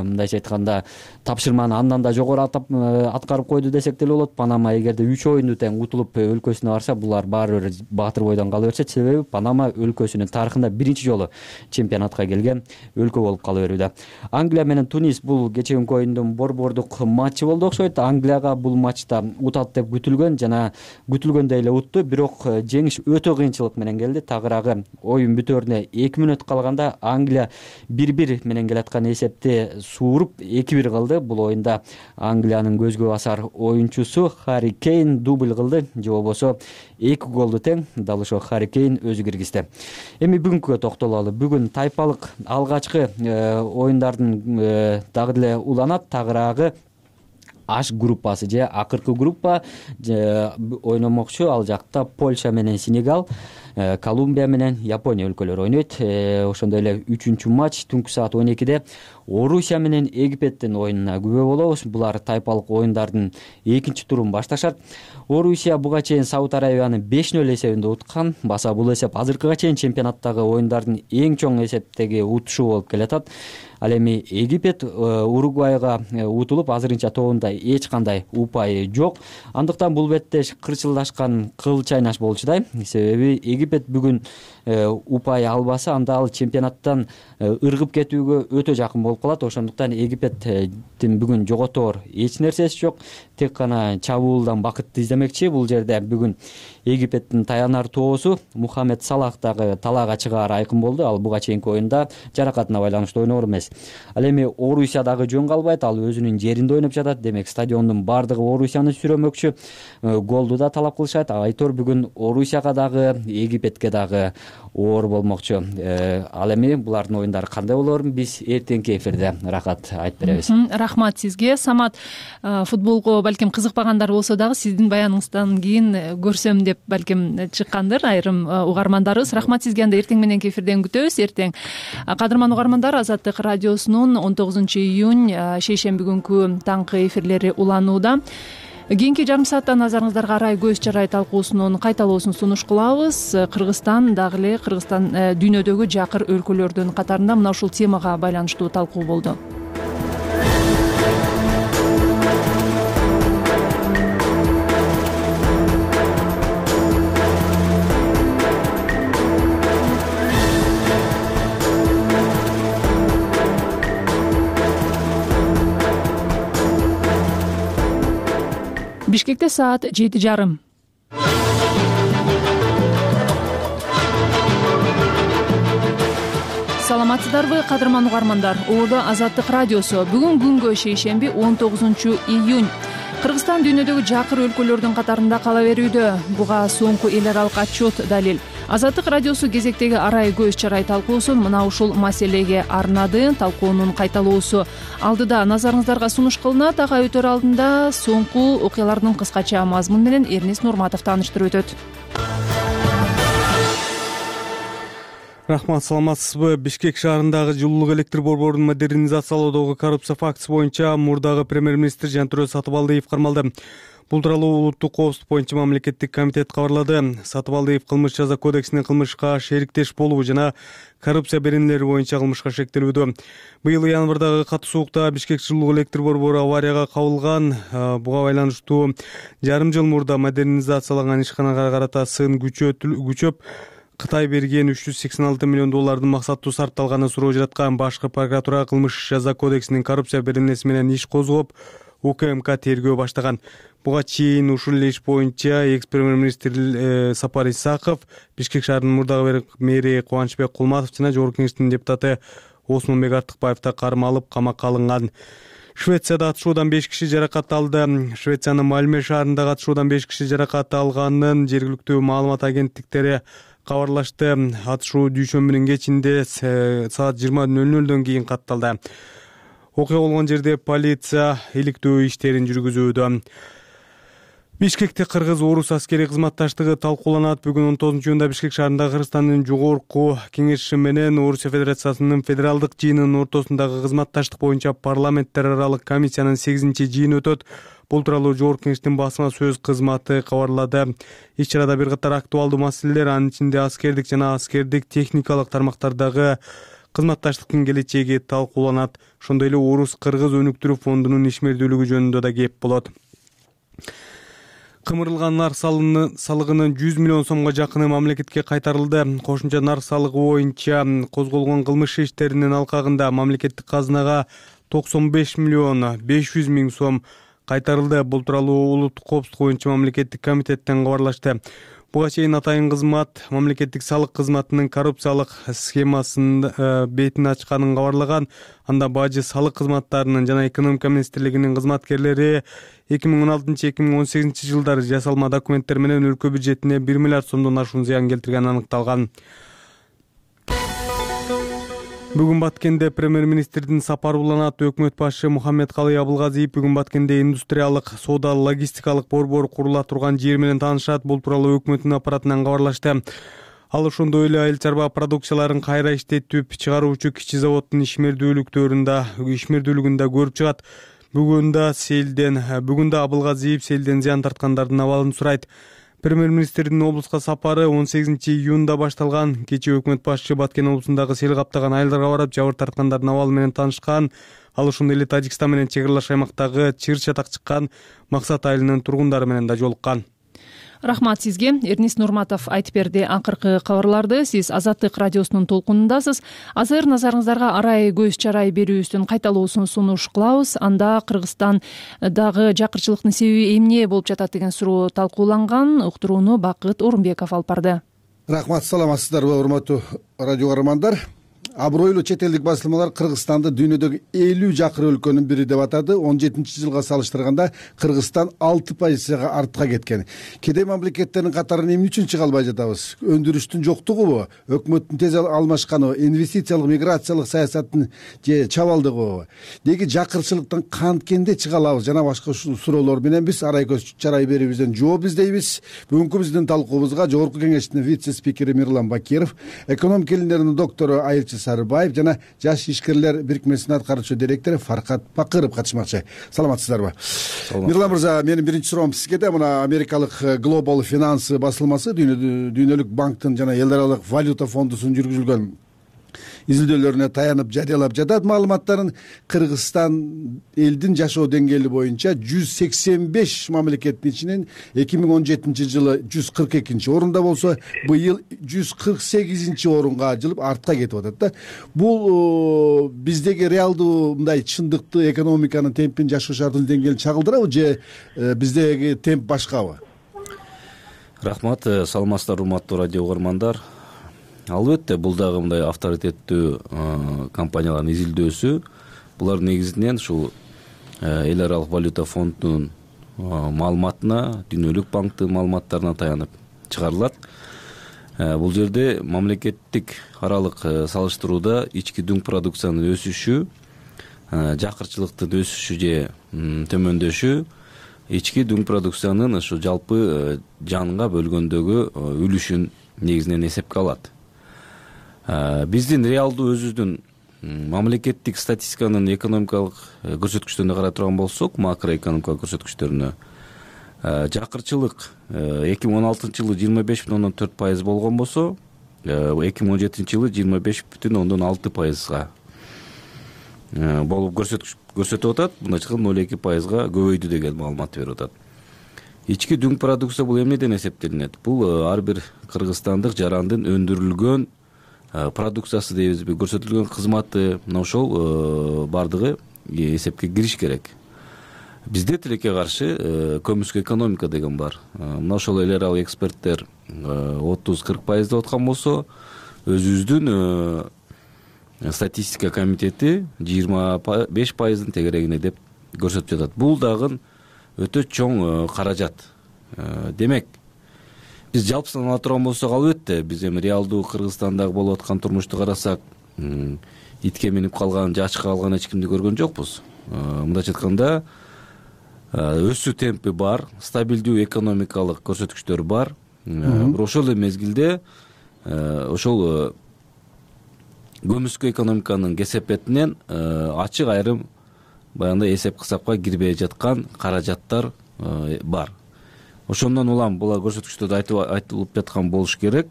мындайча айтканда тапшырманы андан да жогору аткарып койду десек деле болот. Панама эгерде 3 оюнду тең утулуп өлкөсүнө барса, булар баары бир баатыр бойдон кала беришет. Себеби Панама өлкөсүнүн тарыхында биринчи жолу чемпионатка келген өлкө болуп кала берүүдө. Англия менен Тунис бул кечээки оюндун борбордук матчы болду окшойт. Англияга бул матчта утат деп күтүлгөн, жана күтүлгөндөй эле утту. Бирок жеңиш өтө кыйынчылык менен келди. Тагыраагы оюн бүтөөрүнө 2 мүнөт калганда Англия 1-1 менен келаткан эсепти сууруп 2-1 кылды. Бул оюнда Англиянын көзгө басар оюнчусу Харри Кейн дубль кылды, же болбосо 2 голду тең дал ошо Харри Кейн өзү киргизди. Эми бүгүнкүгө токтололу. Бүгүн тайпалык алгачкы оюндардын дагы деле уланат. Тагыраагы H группасы же акыркы группа ойномокчу. Ал жакта Польша менен Сенегал, Колумбия менен Япония өлкөлөрү ойнойт. Ошондой эле 3-үнчү матч түнкү саат 12-де Орусия менен Египеттин оюнуна күбө болобуз. Булар тайпалык оюндардын экинчи турун башташат. Орусия буга чейин Сауд Арабияны 5-0 эсебинде уткан. Баса бул эсеп азыркыга чейин чемпионаттагы оюндардын эң чоң эсептеги утушу болуп келатат. Ал эми Египет Уругвайга утулуп, азырынча тобунда эч кандай упайы жок. Андыктан бул беттеш кырчылдашкан кыл чайнаш болчудай. Себеби Египет бүгүн упай албаса, анда ал чемпионаттан ыргып кетүүгө өтө жакын болуп калат. Ошондуктан Египеттин бүгүн жоготоор эч нерсеси жок. Тек гана чабуулдан бакытты издемекчи. Бул жерде бүгүн Египеттин таянар тоосу Мухаммед Салах дагы талаага чыгаары айкын болду. Ал буга чейинки оюнда жаракатына байланыштуу ойноор эмес. Ал эми Орусия дагы жөн калбайт. Ал өзүнүн жеринде ойноп жатат. Демек, стадиондун баардыгы Орусияны сүрөмөкчү. Голду да талап кылышат. Айтор бүгүн Орусияга дагы Египетке дагы оор болмокчу. Ал эми булардын оюндары кандай болорун биз эртеңки эфирде Рахат айтып беребиз. Рахмат сизге. Самат, футболго балким кызыкпагандар болсо дагы сиздин баяныңыздан кийин көрсөм деп балким чыккандыр айрым угармандарыбыз. Рахмат сизге. Анда эртең мененки эфирден күтөбүз. Эртең. Кадырман угармандар, Азаттык радиосунун 19-июнь шейшемби күнкү таңкы эфирлери уланууда. Кийинки жарым саатта назарыңыздарга арай көз чарай талкуусунун кайталоосун сунуш кылабыз. Кыргызстан дагы эле дүйнөдөгү жакыр өлкөлөрдүн катарында мына ушул темага байланыштуу талкуу болду. Бишкекте саат 7:30. Саламатсыздарбы, кадырман угармандар? Ордо Азаттык радиосу. Бүгүн күнгө шейшемби 19-июнь. Кыргызстан дүйнөдөгү жакыр өлкөлөрдүн катарында кала берүүдө. Буга соңку эл аралык отчет далил. Азаттык радиосу кезектеги арай көз чарай талкуусун мына ушул маселеге арнады. Талкуунун кайталоосу алдыда назарыңыздарга сунуш кылынат. Ага өтөр алдында соңку окуялардын кыскача мазмуну менен Эрнис Нурматов тааныштырып өтөт. Рахмат, саламатсызбы? Бишкек шаарындагы жылуулук электр борборун модернизациялоодогу коррупция фактысы боюнча мурдагы премьер-министр Жантүрө Сатыбалдиев кармалды. Бул тууралуу улуттук коопсуздук боюнча мамлекеттик комитет кабарлады. Сатыбалдиев кылмыш жаза кодексинин кылмышка шериктеш болуу жана коррупция беренелери боюнча кылмышка шектелүүдө. Быйыл январдагы катуу суукта Бишкек жылуулук электр борбору аварияга кабылган. Буга байланыштуу жарым жыл мурда модернизацияланган ишканага карата сын күчөп Кытай берген 386 миллион доллардын максаттуу сарпталганын суроо жараткан. Башкы прокуратура кылмыш жаза кодексинин коррупция беренеси менен иш козгоп, УКМК тергөө баштаган. Буга чейин ушул иш боюнча экс-премьер-министр Сапар Исаков, Бишкек шаарынын мурдагы мэри Кубанычбек Кулматов жана Жогорку Кеңештин депутаты Осмонбек Артыкбаев да кармалып, камакка алынган. Швецияда атышуудан 5 киши жаракат алды. Швециянын Мальме шаарындагы атышуудан 5 киши жаракат алганын жергиликтүү маалымат агенттиктери кабарлашты. Атышуу дүйшөмбүнүн кечинде саат 20:00дөн кийин катталды. Окуя болгон жерде полиция иликтөө иштерин жүргүзүүдө. Бишкекте кыргыз-орус аскери кызматташтыгы талкууланат. Бүгүн 19-июнда Бишкек шаарында Кыргызстандын жогорку кеңеши менен Орусия Федерациясынын федералдык жыйынынын ортосундагы кызматташтык боюнча парламенттер аралык комиссиянын 8-жыйыны өтөт. Бул тууралуу Жогорку Кеңештин басма сөз кызматы кабарлады. Иш-чарада бир катар актуалдуу маселелер, анын ичинде аскердик жана аскердик техникалык тармактардагы кызматташтыктын келечеги талкууланат. Ошондой эле Орус-Кыргыз өнүктүрүү фондунун ишмердүүлүгү жөнүндө да кеп болот. Кымырылган нарк салыгынын 100 миллион сомго жакыны мамлекетке кайтарылды. Кошумча нарк салыгы боюнча козголгон кылмыш иштеринин алкагында мамлекеттик казынага 95 миллион 500 миң сом кайтарылды. Бул тууралуу улуттук коопсуздук боюнча мамлекеттик комитеттен кабарлашты. Буга чейин атайын кызмат мамлекеттик салык кызматынын коррупциялык схемасынын бетин ачканын кабарлаган. Анда бажы салык кызматтарынын жана экономика министрлигинин кызматкерлери 2016-2018 жылдары жасалма документтер менен өлкө бюджетине 1 миллиард сомдон ашуун зыян келтиргени аныкталган. Бүгүн Баткенде премьер-министрдин сапары уланат. Өкмөт башчы Мухаммедкалый Абылгазиев бүгүн Баткенде индустриялык, соода, логистикалык борбор курула турган жер менен таанышат. Бул тууралуу өкмөттүн аппаратынан кабарлашты. Ал ошондой эле айыл чарба продукцияларын кайра иштетип чыгаруучу кичи заводдун ишмердүүлүгүндө көрүп чыгат. Бүгүн да Абылгазиев селден зыян тарткандардын абалын сурайт. Премьер-министрдин облуска сапары 18-июнда башталган. Кечээ өкмөт башчы Баткен облусундагы сел каптаган айылдарга барып, жабыр тарткандардын абалы менен таанышкан. Ал ошондой эле Тажикстан менен чек аралаш аймактагы чыр-чатак чыккан Максат айылынын тургундары менен да жолуккан. Рахмат сизге. Эрнис Нурматов айтып берди акыркы кабарларды. Сиз Азаттык радиосунун толкунундасыз. Азыр назарыңыздарга арай көз чарай берүүбүздүн кайталоосун сунуш кылабыз. Анда Кыргызстандагы жакырчылыктын себеби эмне болуп жатат деген суроо талкууланган. Уктурууну Бакыт Орунбеков алып барды. Рахмат, саламатсыздарбы, урматтуу радио каармандар. абройлуу чет элдик басылмалар Кыргызстанды дүйнөдөгү 50 жакыр өлкөнүн бири деп атады. 17-жылга салыштырганда Кыргызстан 6% артка кеткен. Кедей мамлекеттердин катарына эмне үчүн чыга албай жатабыз? Өндүрүштүн жоктугубу, өкмөттүн тез алмашканыбы, инвестициялык миграциялык саясаттын же чабалдыгыбы? Деги жакырчылыктан канткенде чыга алабыз? Жана башка суроолор менен биз арай көз чарай берүүбүздөн жооп издейбиз. Бүгүнкү биздин талкуубузга Жогорку Кеңештин вице-спикери Мирлан Бакиров, экономика илимдеринин доктору Айылчы Сарыбаев жана Жаш ишкерлер бирикмесинин аткаруучу директору Фаркат Бакыров катышмакчы. Саламатсыздарбы? Мирлан мырза, менин биринчи суроом сизге да. Мына америкалык Global Finance басылмасы дүйнөлүк банктын жана эл аралык валюта фондусунун жүргүзүлгөн изилдөөлөрүнө таянып жарыялап жатат маалыматтарын. Кыргызстан элдин жашоо деңгээли боюнча 185 мамлекеттин ичинен 2017-жылы 142 орунда болсо, быйыл 148 орунга жылып артка кетип атат да. Бул биздеги реалдуу мындай чындыкты, экономиканын темпин, жашоо шартынын деңгээлин чагылдырабы же биздеги темп башкабы? Рахмат, саламатсыздар урматтуу радио угармандар. Албетте, бул дагы мындай авторитеттүү компаниялардын изилдөөсү. Булар негизинен ушул эл аралык валюта фондунун маалыматына, дүйнөлүк банктын маалыматтарына таянып чыгарылат. Бул жерде мамлекеттик аралык салыштырууда ички дүң продукциянын өсүшү, жакырчылыктын өсүшү же төмөндөшү ички дүң продукциянын ушу жалпы жанга бөлгөндөгү үлүшүн негизинен эсепке алат. Биздин реалдуу өзүбүздүн мамлекеттик статистиканын экономикалык көрсөткүчтөрүнө карай турган болсок, макроэкономикалык көрсөткүчтөрүнө жакырчылык 2016-жылы 25,4% болгон болсо, 2017-жылы 25,6%га болуп көрсөтүп атат. Мындайча 0,2%га көбөйдү деген маалымат берип атат. Ички дүң продукция бул эмнеден эсептелинет? Бул ар бир кыргызстандык жарандын өндүрүлгөн продукциясы дейбизби, көрсөтүлгөн кызматы, мына ошол бардыгы эсепке кириш керек. Бизде тилекке каршы көмүскө экономика деген бар. Мына ошол эл аралык эксперттер 30-40% деп аткан болсо, өзүбүздүн статистика комитети 25%-дын тегерегине деп көрсөтүп жатат. Бул дагы өтө чоң каражат. Демек, биз жалпысын ала турган болсок, албетте, биз эми реалдуу Кыргызстандагы болуп аткан турмушту карасак, итке минип калган же ачка калган эч кимди көргөн жокпуз. Мындайча айтканда, өсүү темпи бар, стабилдүү экономикалык көрсөткүчтөр бар. Бирок ошол эле мезгилде ошол көмүскө экономиканын кесепетинен ачык айрым баягындай эсеп-кысапка кирбей жаткан каражаттар бар. Ошондон улам булар көрсөткүчтөрдө айтылып жаткан болуш керек.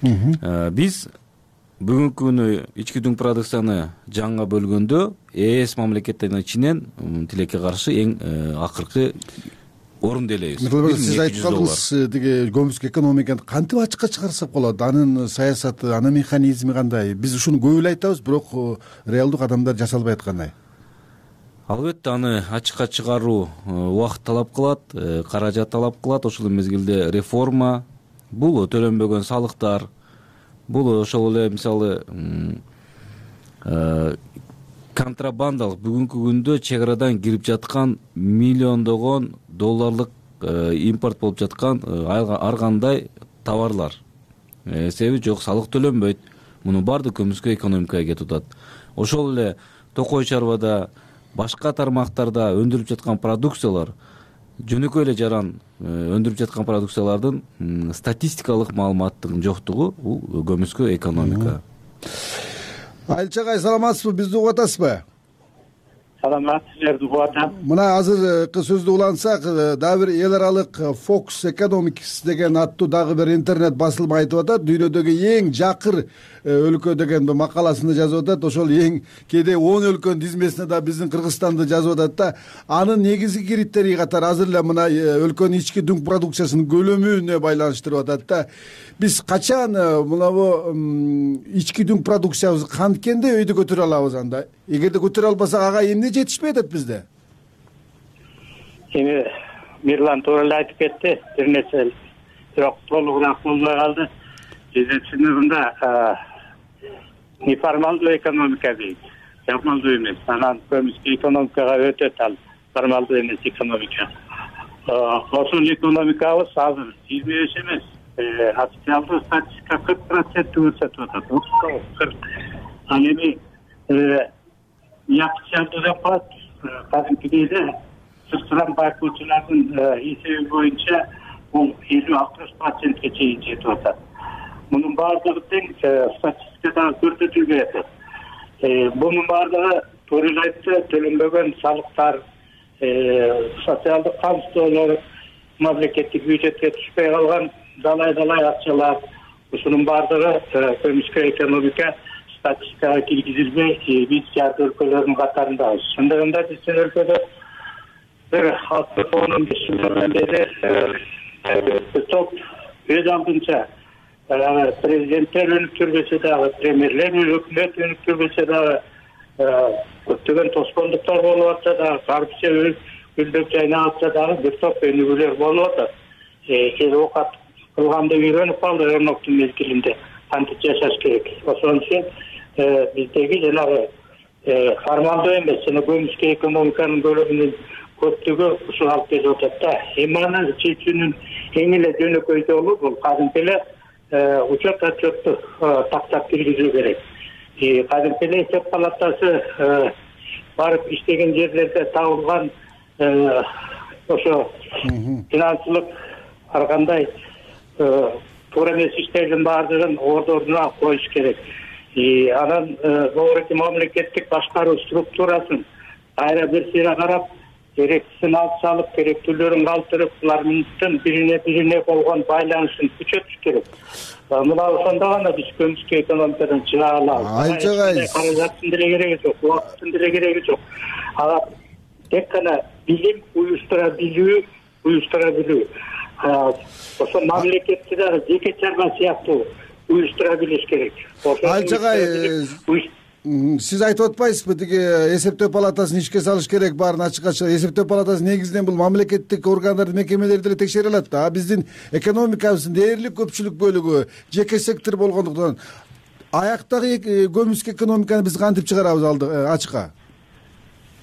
Биз бүгүнкү күнү ички дүң продукцияны жанга бөлгөндө ЭС мамлекеттеринин ичинен тилекке каршы эң акыркы орунду ээлейбиз. Сиз айтып калдыңыз, тиги көмүскө экономиканы кантип ачыкка чыгарсак болот? Анын саясаты, анын механизми кандай? Биз ушуну көп эле айтабыз, бирок реалдуу кадамдар жасалбай аткандай. Албетте, аны ачыкка чыгаруу убакыт талап кылат, каражат талап кылат. Ошол мезгилде реформа, бул төлөнбөгөн салыктар, бул ошол эле мисалы контрабандалык бүгүнкү күндө чек арадан кирип жаткан миллиондогон долларлык импорт болуп жаткан ар кандай товарлар. Себеби жок, салык төлөнбөйт. Мунун баардыгы көмүскө экономикага кетип атат. Ошол эле токой чарбада, башка тармактарда өндүрүлүп жаткан продукциялар, жөнөкөй эле жаран өндүрүп жаткан продукциялардын статистикалык маалыматтын жоктугу бул көмүскө экономика. Айылчы агай, саламатсызбы? Бизди угуп атасызбы? Саламат, силерди угуп атам. Мына азыркы сөздү улантсак, дагы бир эл аралык Fox Economics деген аттуу дагы бир интернет басылма айтып атат, дүйнөдөгү эң жакыр өлкө деген макаласында жазып атат. Ошол эң кээде 10 өлкөнүн тизмесине да биздин Кыргызстанды жазып атат да. Анын негизги критерий катары азыр эле мына өлкөнүн ички дүң продукциясынын көлөмүнө байланыштырып атат да. Биз качан мынабу ички дүң продукциябызды канткенде өйдө көтөрө алабыз анда? Эгерде көтөрө албасак, ага эмне жетишпей атат бизде? Эми Мирлан туура эле айтып кетти, бир нерсе, бирок толугураак болбой калды. Жетинчи сыныгында неформалдуу экономика дейт, формалдуу эмес. Анан көбүнчө экономикага өтөт ал формалдуу эмес экономика. Ошол экономикабыз азыр 25 эмес, официалдуу статистика 40% көрсөтүп атат. 40. Ал эми неофициалдуу деп коет, кадимкидей эле сырттан байкоочулардын эсеби боюнча бул 50-60%ке чейин жетип атат. Мунун баардыгы тең статистикада көрсөтүлбөй атат. Бунун баардыгы туура эле айтты, төлөнбөгөн салыктар, социалдык камсыздоолор, мамлекеттик бюджетке түшпөй калган далай акчалар, ушунун баардыгы көмүскө экономика статистикага киргизилбей, биз жарты өлкөлөрдүн катарындабыз. Ошондогунда биздин өлкөдө бир 15 жылдан бери топ өз алдынча президенттер өнүктүрбөсө дагы, премьерлер өкмөт өнүктүрбөсө дагы көптөгөн тоскоолдуктар болуп атса дагы, коррупция гүлдөп жайнап атса дагы бир топ өнүгүүлөр болуп атат. Эл оокат кылганды үйрөнүп калды өрнөктүн мезгилинде кантип жашаш керек. Ошон үчүн биздеги жанагы формалдуу эмес жана көмүскө экономиканын көлөмүнүн көптүгү ушул алып келип атат да. Эми аны чечүүнүн эң эле жөнөкөй жолу бул кадимки эле учет отчетту тактап киргизүү керек. Кадимки эле эсеп палатасы барып иштеген жерлерде табылган ошо финансылык ар кандай туура эмес иштердин баардыгын ордуна коюш керек. Анан дооруки мамлекеттик башкаруу структурасын кайра бир сыйра карап, керектисин алып салып, керектүүлөрүн калтырып, булардын бирине болгон байланышын күчөтүш керек. Мына ошондо гана биз көмүскө экономикадан чыга алабыз. Каражаттын деле кереги жок, убакыттын деле кереги жок. Ага тек гана билим уюштура билүү. Ошо мамлекетти дагы жеке чарба сыяктуу уюштура билиш керек. Айчагай, сиз айтып атпайсызбы, тиги эсептөө палатасын ишке салыш керек, баарын ачыкка чыгып. Эсептөө палатасы негизинен бул мамлекеттик органдарды, мекемелерди деле текшере алат да. Биздин экономикабыздын дээрлик көпчүлүк бөлүгү жеке сектор болгондуктан аяктагы көмүскө экономиканы биз кантип чыгарабыз ачыкка?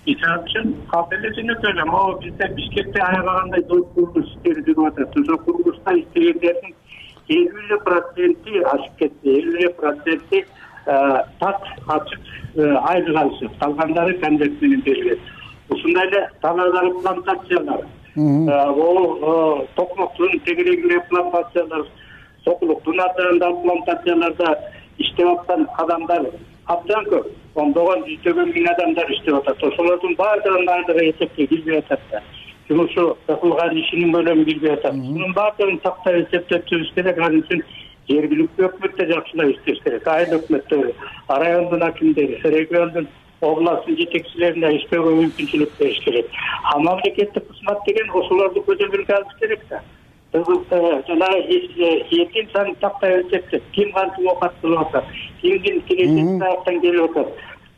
Ишан үчүн капеле жөнөкөй эле. Могу бизде Бишкекте аябагандай курулуш иштери жүрүп атат. Ошол курулушта иштегендердин 50% ашып кетти. 50% так ачык айлык алышат. Калгандары конверт менен берилет. Ушундай эле талаадагы плантациялар, токмоктун тегерегиндеги плантациялар, сокулуктун атындагы плантацияларда иштеп аткан адамдар абдан көп. Ондогон жүздөгөн миң адамдар иштеп атат. Ошолордун баардыгынын айлыгы эсепке кирбей атат да. Жумушу кылган ишинин көлөмү кирбей атат. Мунун баардыгын тактап эсептеп түзүш керек. Ал үчүн жергиликтүү өкмөттө жакшылап иштеш керек. Айыл өкмөттөрү, райондун акимдери, региондун, областтын жетекчилерине иштөөгө мүмкүнчүлүк бериш керек. Мамлекеттик кызмат деген ошолорду көзөмөлгө алыш керек да. Жанагы этим санын тактап эсептеп, ким кантип оокат кылып атат, кимдин келечек таяктан келип атат,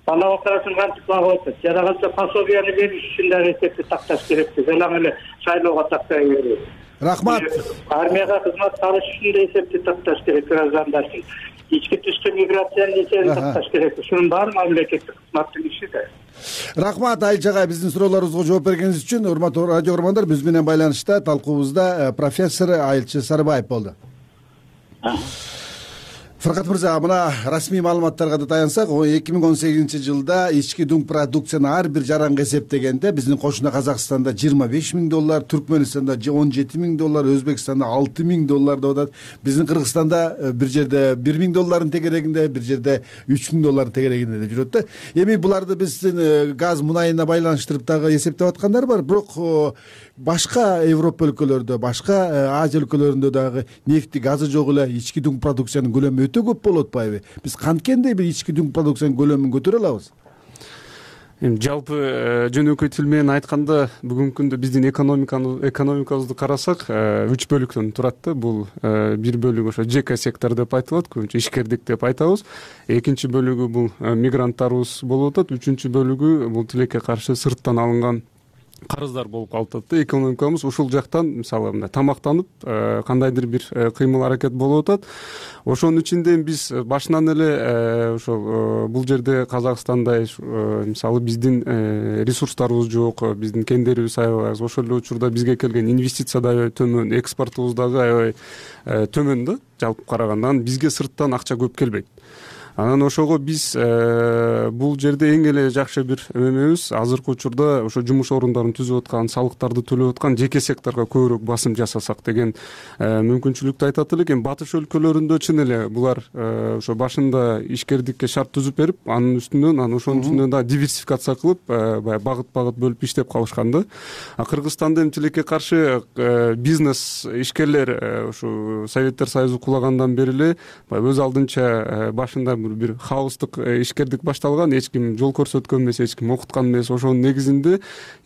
бала бакарасын кантип багып атат, жада калса пособияны бериш үчүн дагы эсепти такташ керек. Жалаң эле шайлоого тактай берүү. Рахмат. Армияга кызмат алыш үчүн да эсепти такташ керек граждандардын. Ички түштү миграциянын эсебин такташ керек. Ушунун баары мамлекеттик кызматтын иши да. Рахмат Айчагай, биздин суроолорубузга жооп бергениңиз үчүн. Урматтуу радио көрөрмандар, биз менен байланышта талкуубузда профессор Айылчы Сарыбаев болду. Фаркат мырза, мына расмий маалыматтарга да таянсак, 2018-жылда ички дүң продукцияны ар бир жаранга эсептегенде биздин кошуна Казакстанда $25,000, Түркмөнстанда $17,000, Өзбекстанда $6,000 деп атат. Биздин Кыргызстанда бир жерде $1,000 тегерегинде, бир жерде $3,000 тегерегинде деп жүрөт да. Эми буларды биздин газ мунайына байланыштырып дагы эсептеп аткандар бар, бирок башка Европа өлкөлөрүндө, башка Азия өлкөлөрүндө дагы нефти, газы жок эле ички дүң продукциянын көлөмү өтө көп болуп атпайбы? Биз канткенде бир ички дүң продукциянын көлөмүн көтөрө алабыз? Эми жалпы жөнөкөй тил менен айтканда, бүгүнкү күндө биздин экономикабызды карасак, 3 бөлүктөн турат да. Бул бир бөлүгү ошо ЖК сектор деп айтылат, көбүнчө ишкердик деп айтабыз. Экинчи бөлүгү бул мигранттарыбыз болуп атат. Үчүнчү бөлүгү бул тилекке каршы сырттан алынган карыздар болуп калып атат да. Экономикабыз ушул жактан мисалы мындай тамактанып кандайдыр бир кыймыл аракет болуп атат. Ошонун ичинде биз башынан эле ошол бул жерде Казакстанда мисалы биздин ресурстарыбыз жок, биздин кендерибиз аябай аз. Ошол эле учурда бизге келген инвестиция да аябай төмөн, экспортубуз дагы аябай төмөн да жалпы караганда. Бизге сырттан акча көп келбейт. Анан ошого биз бул жерде эң эле жакшы бир эмебиз азыркы учурда ошо жумуш орундарын түзүп аткан, салыктарды төлөп аткан жеке секторго көбүрөөк басым жасасак деген мүмкүнчүлүктү айтат элек. Эми батыш өлкөлөрүндө чын эле булар ошо башында ишкердикке шарт түзүп берип, анын үстүнөн ошонун үстүнөн дагы диверсификация кылып, баягы багыт бөлүп иштеп калышкан да. Кыргызстанда эми тилекке каршы бизнес ишкерлер ушу Советтер Союзу кулагандан бери эле өз алдынча башында бир хаостук ишкердик башталган, эч ким жол көрсөткөн эмес, эч ким окуткан эмес. Ошонун негизинде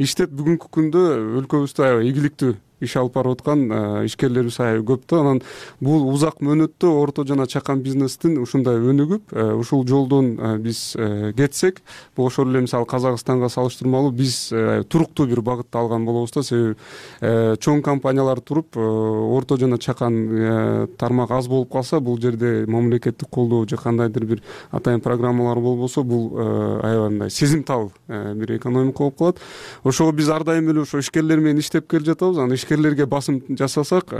иштеп бүгүнкү күндө өлкөбүздө аябай ийгиликтүү иш алып барып аткан ишкерлерибиз аябай көп да. Анан бул узак мөөнөттө орто жана чакан бизнестин ушундай өнүгүп, ушул жолдон биз кетсек, бул ошол эле мисалы Казакстанга салыштырмалуу биз туруктуу бир багытты алган болобуз да. Себеби чоң компаниялар туруп, орто жана чакан тармак аз болуп калса, бул жерде мамлекеттик колдоо же кандайдыр бир атайын программалар болбосо, бул аябай мындай сезимтал бир экономика болуп калат. Ошого биз ар дайым эле ошо ишкерлер менен иштеп келе жатабыз. Анан ишкерлерге басым жасасак,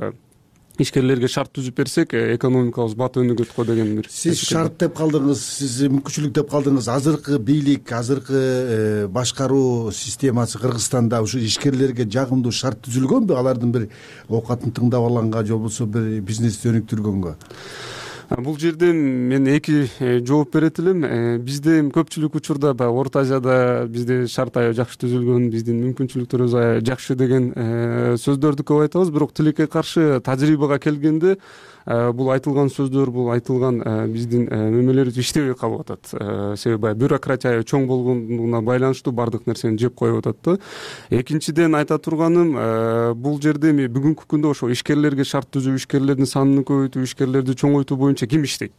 ишкерлерге шарт түзүп берсек, экономикабыз бат өнүгөт го деген бир. Сиз шарт деп калдыңыз, сиз мүмкүнчүлүк деп калдыңыз. Азыркы бийлик, азыркы башкаруу системасы Кыргызстанда ушу ишкерлерге жагымдуу шарт түзүлгөнбү? Алардын бир оокатын тыңдап алганга же болбосо бир бизнести өнүктүргөнгө? Бул жерден мен эки жооп берет элем. Бизде көпчүлүк учурда баягы Орто Азияда бизде шарт аябай жакшы түзүлгөн, биздин мүмкүнчүлүктөрүбүз аябай жакшы деген сөздөрдү көп айтабыз. Бирок тилекке каршы тажрыйбага келгенде бул айтылган сөздөр, бул айтылган биздин мемелерибиз иштебей калып атат. Себеби бюрократия чоң болгондугуна байланыштуу бардык нерсени жеп коюп атат да. Экинчиден айта турганым, бул жерде бүгүнкү күндө ошо ишкерлерге шарт түзүү, ишкерлердин санын көбөйтүү, ишкерлерди чоңойтуу боюнча ким иштейт?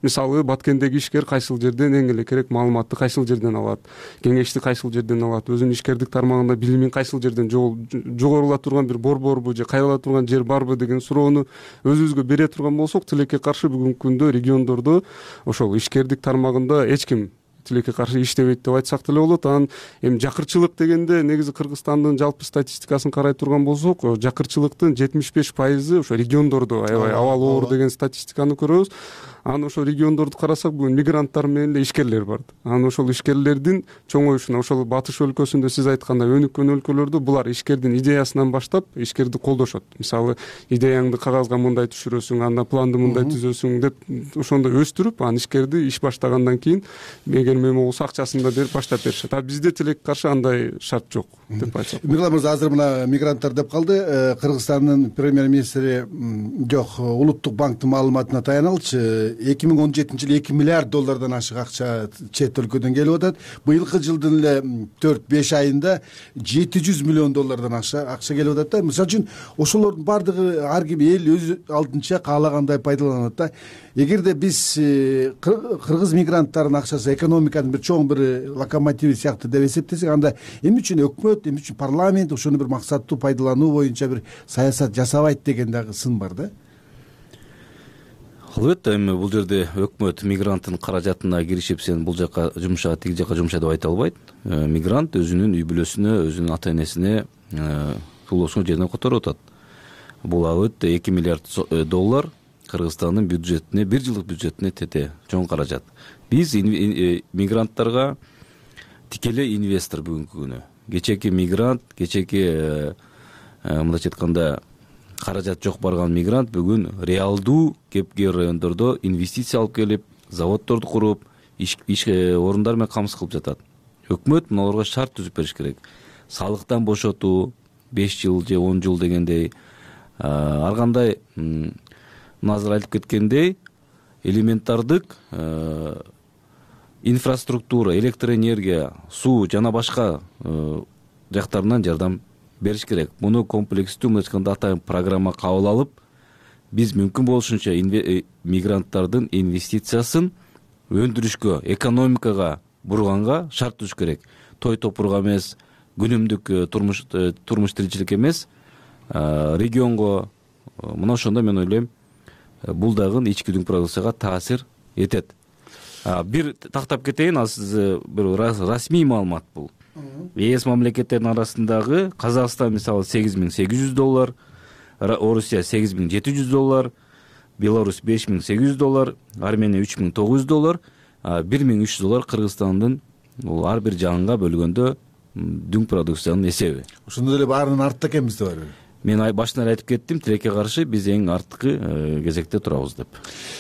Мисалы Баткендеги ишкер кайсыл жерден эң эле керек маалыматты кайсыл жерден алат, кеңешти кайсыл жерден алат, өзүнүн ишкердик тармагында билимин кайсыл жерден жогорула турган бир борборбу же кайрыла турган жер барбы деген суроону өзүбүзгө бере турган болсок, тилекке каршы бүгүнкү күндө региондордо ошол ишкердик тармагында эч ким тилекке каршы иштебейт деп айтсак деле болот. Анан эми жакырчылык дегенде негизи Кыргызстандын жалпы статистикасын карай турган болсок, жакырчылыктын 75% ошо региондордо аябай абал оор деген статистиканы көрөбүз. Анан ошол региондорду карасак, бүгүн мигранттар менен эле ишкерлер бар. Анан ошол ишкерлердин чоңоюшуна, ошол батыш өлкөсүндө сиз айткандай өнүккөн өлкөлөрдө булар ишкердин идеясынан баштап ишкерди колдошот. Мисалы, идеяңды кагазга мындай түшүрөсүң, анда планды мындай түзөсүң деп ошондой өстүрүп, анан ишкерди иш баштагандан кийин эгер мем болсо акчасын да берип баштап беришет. А бизде тилекке каршы андай шарт жок деп айтсак. Мирлан мырза, азыр мына мигранттар деп калды. Кыргызстандын премьер-министри жок, Улуттук банктын маалыматына таянылчы. 2017-жылы 2 миллиард доллардан ашык акча чет өлкөдөн келип атат. Быйылкы жылдын эле 4-5 айында 700 миллион доллардан акча келип атат да. Мисалы үчүн ошолордун бардыгы ар ким эл өз алдынча каалагандай пайдаланат да. Эгерде биз кыргыз мигранттарынын акчасы экономиканын бир чоң бир локомотиви сыяктуу деп эсептесек, анда эмне үчүн өкмөт, эмне үчүн парламент ошону бир максаттуу пайдалануу боюнча бир саясат жасабайт деген дагы сын бар да. Албетте, эми бул жерде өкмөт мигранттын каражатына киришип, сен бул жака жумша, тиги жака жумша деп айта албайт. Мигрант өзүнүн үй бүлөсүнө, өзүнүн ата энесине сулоосун жерден которуп атат. Бул албетте 2 миллиард доллар Кыргызстандын бюджетине, бир жылдык бюджетине тете чоң каражат. Биз мигранттарга тикелей инвестор бүгүнкү күнү. Кечеки мигрант, кечеки мындайча айтканда каражат жок барган мигрант бүгүн реалдуу кепкер райондордо инвестиция алып келип, заводдорду куруп, иш орундар менен камсыз кылып жатат. Өкмөт муналарга шарт түзүп бериш керек. Салыктан бошотуу 5 жыл же 10 жыл дегендей, ар кандай азыр айтып кеткендей элементардык инфраструктура, электроэнергия, суу жана башка жактарынан жардам бериш керек. Муну комплекстүү мындайча атайын программа кабыл алып, биз мүмкүн болушунча мигранттардын инвестициясын өндүрүшкө, экономикага бурганга шарт түзүш керек. Той топурга эмес, күнүмдүк турмуш тиричилик эмес, регионго. Мына ошондо мен ойлойм, бул дагы ички дүң продукцияга таасир этет. Бир тактап кетейин, ал сиз бир расмий маалымат бул. ЕС мамлекеттеринин арасындагы Казакстан мисалы $8,800, Орусия $8,700, Беларусь $5,800, Армения $3,900, $1,300 Кыргызстандын бул ар бир жаанга бөлгөндө дүң продукциянын эсеби. Ошондой эле баарынын артта экенбиз деп атпайбы? Мен башынан айтып кеттим, тилекке каршы биз эң арткы кезекте турабыз деп.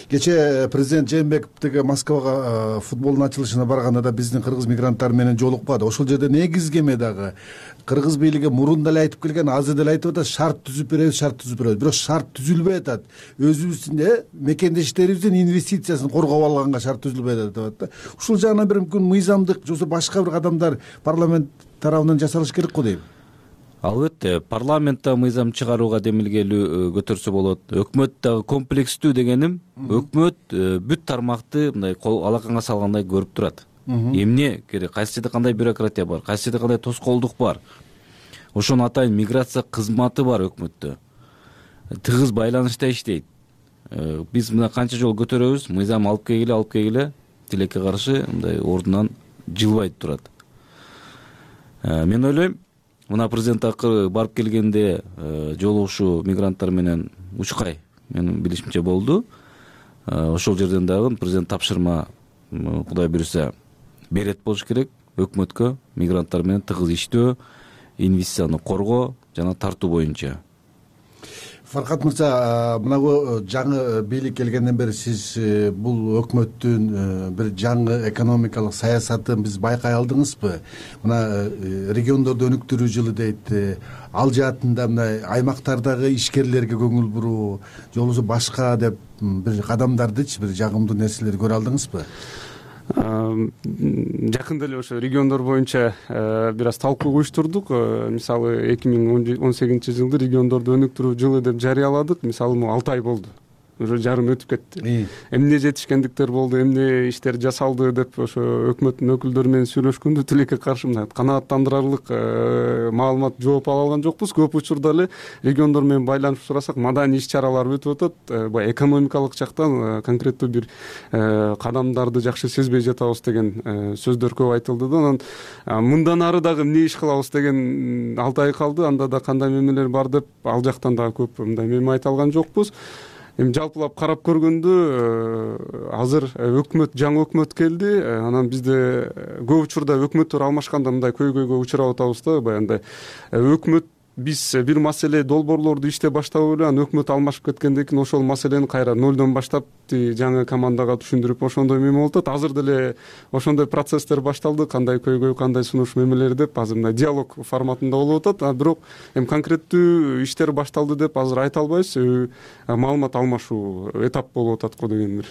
Кечээ президент Жээнбеков тиги Москвага футболдун ачылышына барганда да биздин кыргыз мигранттары менен жолукпады. Ошол жерде негизги эме дагы кыргыз бийлиги мурун деле айтып келген, азыр деле айтып атат, шарт түзүп беребиз. Бирок шарт түзүлбөй атат. Өзүбүздүн мекендештерибиздин инвестициясын коргоп алганга шарт түзүлбөй атат деп атат да. Ушул жагынан бир мүмкүн мыйзамдык же башка бир кадамдар парламент тарабынан жасалыш керек го дейм. Албетте, парламентте мыйзам чыгарууга демилгелүү көтөрсө болот. Өкмөт дагы комплекстүү дегеним, өкмөт бүт тармакты мындай алаканга салгандай көрүп турат. Эмне керек, кайсы жерде кандай бюрократия бар, кайсы жерде кандай тоскоолдук бар. Ошону атайын миграция кызматы бар өкмөттө. Тыгыз байланышта иштейт. Биз мына канча жол көтөрөбүз, мыйзам алып келгиле, тилекке каршы мындай ордунан жылбай турат. Мен ойлойм, мына президент акыры барып келгенде жолугушуу мигранттар менен учкай менин билишимче болду. Ошол жерден дагы президент тапшырма, Кудай буйруса, берет болуш керек өкмөткө мигранттар менен тыгыз иштөө, инвестицияны коргоо жана тартуу боюнча. Фаркат мырза, мына жаңы бийлик келгенден бери сиз бул өкмөттүн бир жаңы экономикалык саясатын биз байкай алдыңызбы? Мына региондорду өнүктүрүү жылы дейт. Ал жаатында мына аймактардагы ишкерлерге көңүл буруу, же болбосо башка деп бир кадамдардычы, бир жагымдуу нерселерди көрө алдыңызбы? Жакында эле ошо региондор боюнча бир аз талкуу уюштурдук. Мисалы 2018-жылды региондорду өнүктүрүү жылы деп жарыяладык. Мисалы 6 ай болду. Уже жарым өтүп кетти. Эмне жетишкендиктер болду, эмне иштер жасалды деп ошо өкмөттүн өкүлдөрү менен сүйлөшкөндө тилекке каршы мындай канааттандырарлык маалымат, жооп ала алган жокпуз. Көп учурда эле региондор менен байланышып сурасак, маданий иш-чаралар өтүп атат. Баягы экономикалык жактан конкреттүү бир кадамдарды жакшы сезбей жатабыз деген сөздөр көп айтылды да. Анан мындан ары дагы эмне иш кылабыз деген 6 ай калды. Анда да кандай мемелер бар деп ал жактан дагы көп мындай меме айта алган жокпуз. Эми жалпылап карап көргөндө азыр жаңы өкмөт келди. Анан бизде көп учурда өкмөттөр алмашканда мындай көйгөйгө учурап атабыз да. Баягындай өкмөт биз бир маселе долбоорлорду иштеп баштап эле, анан өкмөт алмашып кеткенден кийин ошол маселени кайра нолдон баштап жаңы командага түшүндүрүп ошондой меме болуп атат. Азыр деле ошондой процесстер башталды. Кандай көйгөй, кандай сунуш мемелер деп азыр мындай диалог форматында болуп атат. Бирок эми конкреттүү иштер башталды деп азыр айта албайбыз. Маалымат алмашуу этап болуп атат го деген бир.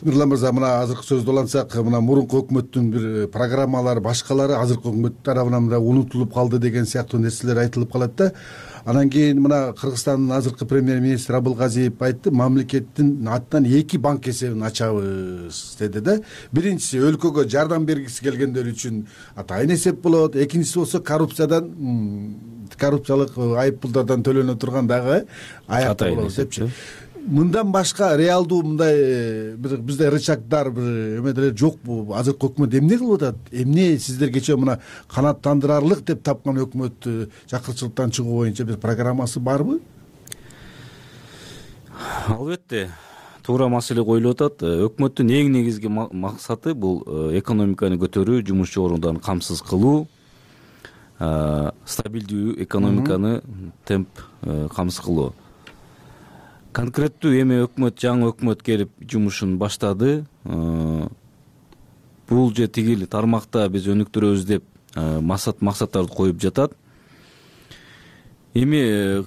Нурлан мырза, мына азыркы сөздү улантсак, мына мурунку өкмөттүн бир программалары, башкалары азыркы өкмөт тарабынан мына унутулуп калды деген сыяктуу нерселер айтылып калат да. Анан кийин мына Кыргызстандын азыркы премьер-министри Абылгазиев айтты, мамлекеттин атынан 2 банк эсебин ачабыз деди да. Биринчиси өлкөгө жардам бергиси келгендер үчүн атайын эсеп болот. Экинчиси болсо коррупциялык айыппулдардан төлөнө турган дагы аякта болот депчи. Мындан башка реалдуу мындай бизде рычагдар бир эме жокпу? Азыркы өкмөт эмне кылып атат? Эмне сиздер кечээ мына канааттандырарлык деп тапкан өкмөт чакырчылыктан чыгуу боюнча бир программасы барбы? Албетте, туура маселе коюлуп атат. Өкмөттүн эң негизги максаты бул экономиканы көтөрүү, жумушчу орундарын камсыз кылуу, стабилдүү экономиканы темп камсыз кылуу. Конкреттүү эми жаңы өкмөт келип жумушун баштады. Бул же тигил тармакта биз өнүктүрөбүз деп максаттарды коюп жатат. Эми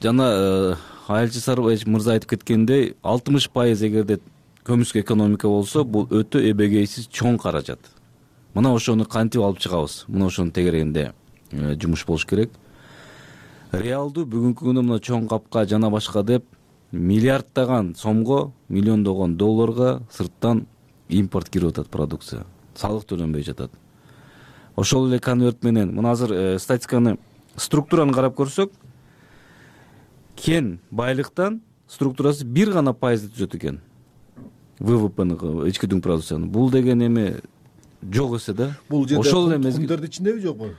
жана Айылчы Сарыбаев мырза айтып кеткендей, 60% эгерде көмүскө экономика болсо, бул өтө эбегейсиз чоң каражат. Мына ошону кантип алып чыгабыз? Мына ошонун тегерегинде жумуш болуш керек. Реалдуу бүгүнкү күндө мына чоң капка жана башка деп миллиарддаган сомго, миллиондогон долларга сырттан импорт кирип атат продукция. Салык төлөнбөй жатат. ошол эле конверт менен мына азыр статистиканы структураны карап көрсөк, кен байлыктан структурасы 1% түзөт экен. ВВПнын, ички дүң продукциянын. Бул деген эми жок эсе да. Бул жерде тукумдардын ичиндеби жокпу?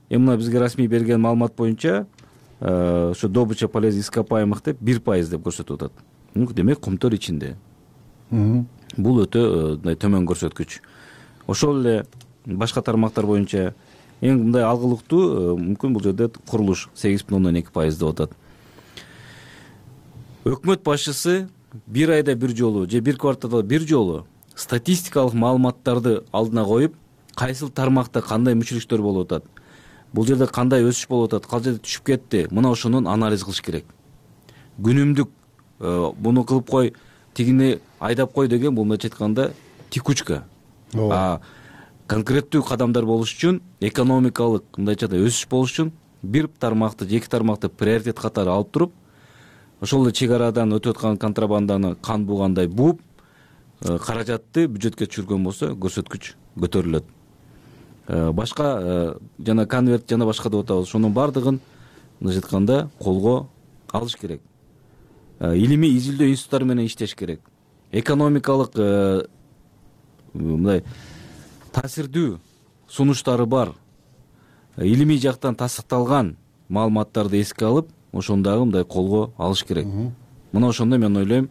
Мына бизге расмий берген маалымат боюнча ошо добыча полезных ископаемых деп 1% деп көрсөтүп атат. Демек кумтөр ичинде. Бул өтө төмөн көрсөткүч. Ошол эле башка тармактар боюнча эң мындай алгылыктуу мүмкүн бул жерде курулуш 8,2% деп атат. Өкмөт башчысы бир айда бир жолу же бир кварталда бир жолу статистикалык маалыматтарды алдына коюп, кайсыл тармакта кандай мүчүлүктөр болуп атат, бул жерде кандай өсүш болуп атат, кал жерде түшүп кетти, мына ошонун анализ кылыш керек. Күнүмдүк буну кылып кой, тигини айдап кой деген бул мындайча айтканда текучка. Конкреттүү кадамдар болуш үчүн, экономикалык мындайча айтканда өсүш болуш үчүн бир тармакты же эки тармакты приоритет катары алып туруп, ошол эле чек арадан өтүп аткан контрабанданы кан буугандай бууп, каражатты бюджетке түшүргөн болсо көрсөткүч көтөрүлөт. Башка жана конверт жана башка деп атабыз. Ошонун бардыгын мындайча айтканда колго алыш керек. Илимий изилдөө институттары менен иштеш керек. Экономикалык мындай таасирдүү сунуштары бар, илимий жактан тастыкталган маалыматтарды эске алып, ошондагы мындай колго алыш керек. Мына ошондо мен ойлойм,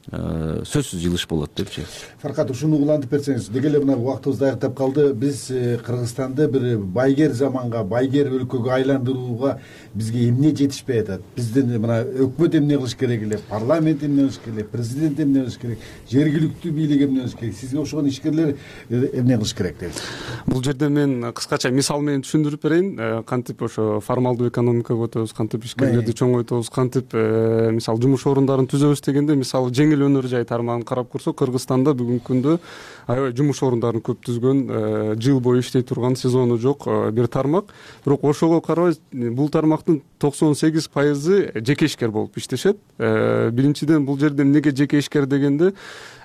сөзсүз жылыш болот депчи. Фаркат, ушуну улантып берсеңиз, деги эле мына убактыбыз аяктап калды. Биз Кыргызстанды бир байгер заманга, байгер өлкөгө айландырууга бизге эмне жетишпей атат? Биздин мына өкмөт эмне кылыш керек эле, парламент эмне кылыш керек, президент эмне кылыш керек, жергиликтүү бийлик эмне кылыш керек, сизге окшогон ишкерлер эмне кылыш керек дейсиз? Бул жерде мен кыскача мисал менен түшүндүрүп берейин. Кантип ошо формалдуу экономикага өтөбүз, кантип ишкерлерди чоңойтобуз, кантип мисалы жумуш орундарын түзөбүз дегенде, мисалы жеңил өнөр жай тармагын карап көрсөк, Кыргызстанда бүгүнкү күндө аябай жумуш орундарын көп түзгөн, жыл бою иштей турган, сезону жок бир тармак. Бирок ошого карабай, бул тармактын 98% жеке ишкер болуп иштешет. Биринчиден, бул жерде эмнеге жеке ишкер дегенде,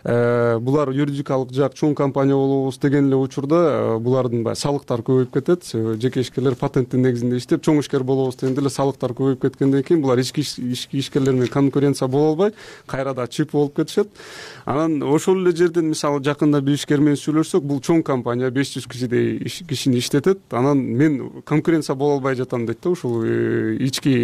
булар юридикалык жак чоң компания болобуз деген эле учурда булардын баягы салыктар көбөйүп кетет. Жеке ишкерлер патенттин негизинде иштеп, чоң ишкер болобуз дегенде эле салыктар көбөйүп кеткенден кийин булар ички ишкерлер менен конкуренция боло албай, кайрада чип болуп кетишет. Анан ошол эле жерден мисалы жакында бир ишкер менен сүйлөшсөк, бул чоң компания 500 кишидей кишини иштетет. Анан мен конкуренция боло албай жатам дейт да, ушул ички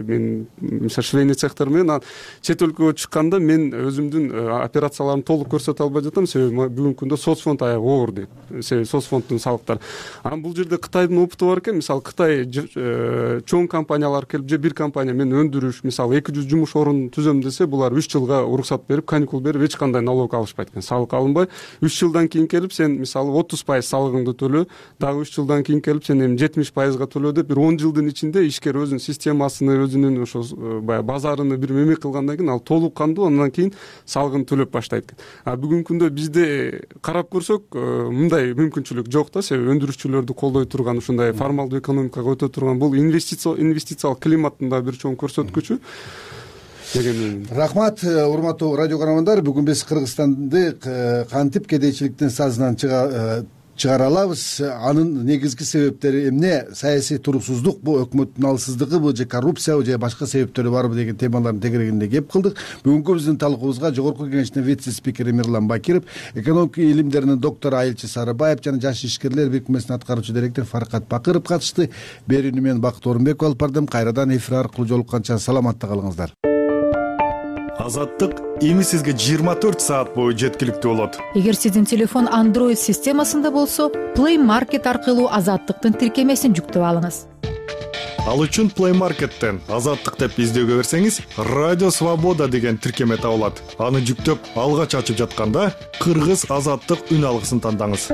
мен мисалы швейный цехтер менен. Чет өлкөгө чыкканда мен өзүмдүн операцияларымды толук көрсөтө албай жатам, себеби бүгүнкү күндө соцфонд аябай оор дейт. Себеби соцфонддун салыктары. Анан бул жерде Кытайдын опыту бар экен. Мисалы Кытай чоң компаниялар келип, же бир компания мен өндүрүш, мисалы 200 жумуш орун түзөм десе, булар 3 жылга уруксат берип, каникул берип, эч кандай налог алышпайт экен. Салык алынбай, 3 жылдан кийин келип сен мисалы 30% салыгыңды төлө, дагы 3 жылдан кийин келип сен эми 70%га төлө деп, бир 10 жылдын ичинде ишкер өзүнүн системасыны, өзүнүн ошо баягы базарыны бир меме кылгандан кийин ал толук кандуу, андан кийин салыгын төлөп баштайт экен. Бүгүнкү күндө бизде карап көрсөк, мындай мүмкүнчүлүк жок да, себеби өндүрүүчүлөрдү колдой турган, ушундай формалдуу экономикага өтө турган, бул инвестициялык климаттын да бир чоң көрсөткүчү. Рахмат, урматтуу радио көрөрмандар. Бүгүн биз Кыргызстанды кантип кедейчиликтин сазынан чыгара алабыз, анын негизги себептери эмне, саясий туруксуздук, бу өкмөттүн алсыздыгыбы же коррупциябы же башка себептери барбы деген темалардын тегерегинде кеп кылдык. Бүгүнкү биздин талкуубузга Жогорку Кеңештин вице-спикери Мирлан Бакиров, экономика илимдеринин доктору Айылчы Сарыбаев жана Жаш ишкерлер бирикмесинин аткаруучу директору Фаркат Бакыров катышты. Берүүнү мен Бакыт Орунбеков алып бардым. Кайрадан эфир аркылуу жолукканча саламатта калыңыздар. Азаттык эми сизге 24 саат бою жеткиликтүү болот. Эгер сиздин телефон Android системасында болсо, Play Market аркылуу Азаттыктын тиркемесин жүктөп алыңыз. Ал үчүн Play Market'тен Азаттык деп издөөгө берсеңиз, Радио Свобода деген тиркеме табылат. Аны жүктөп, алгач ачып жатканда Кыргыз Азаттык үн алгысын тандаңыз.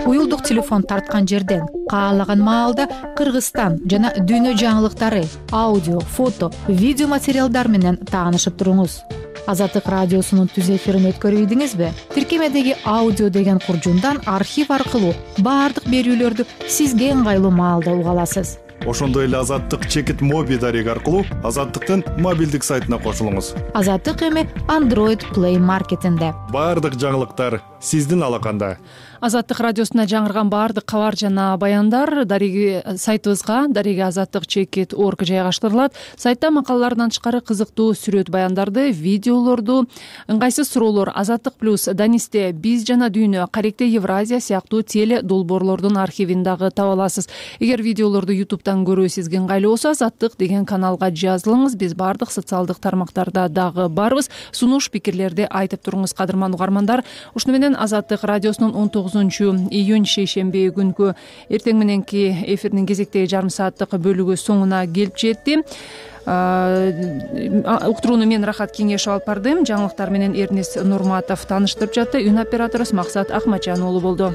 Уюлдук телефон тарткан жерден каалаган маалда Кыргызстан жана дүйнө жаңылыктары, аудио, фото, видео материалдар менен таанышып туруңуз. Азаттык радиосунун түз эфирин өткөрүбүдүңүзбү? Тиркемедеги аудио деген куржундан архив аркылуу баардык берүүлөрдү сизге ыңгайлуу маалда уга аласыз. Ошондой эле Азаттык чекит моби дареги аркылуу Азаттыктын мобилдик сайтына кошулуңуз. Азаттык эми Android Play Market'инде. Баардык жаңылыктар сиздин алаканда. Азаттык радиосуна жаңырган баардык кабар жана баяндар дареги сайтыбызга daregi-azattik.org жайгаштырылат. Сайтта макалалардан тышкары кызыктуу сүрөт баяндарды, видеолорду, ыңгайсыз суроолор, Азаттык плюс, Данисте, Биз жана Дүйнө, Каректе Евразия сыяктуу теле долбоорлордун архивин дагы таба аласыз. Эгер видеолорду YouTube'дан көрүү сизге ыңгайлуу болсо, Азаттык деген каналга жазылыңыз. Биз баардык социалдык тармактарда дагы барбыз. Сунуш пикирлерди айтып туруңуз, кадырман угармандар. Ушуну менен Азаттык радиосунун 19-июнь шейшемби күнкү эртең мененки эфирдин кезектеги жарым сааттык бөлүгү соңуна келип жетти. Уктурууну мен Рахат Кеңешов алып бардым. Жаңылыктар менен Эрнис Нурматов тааныштырып жатты. Үн операторубуз Максат Акмачан уулу болду.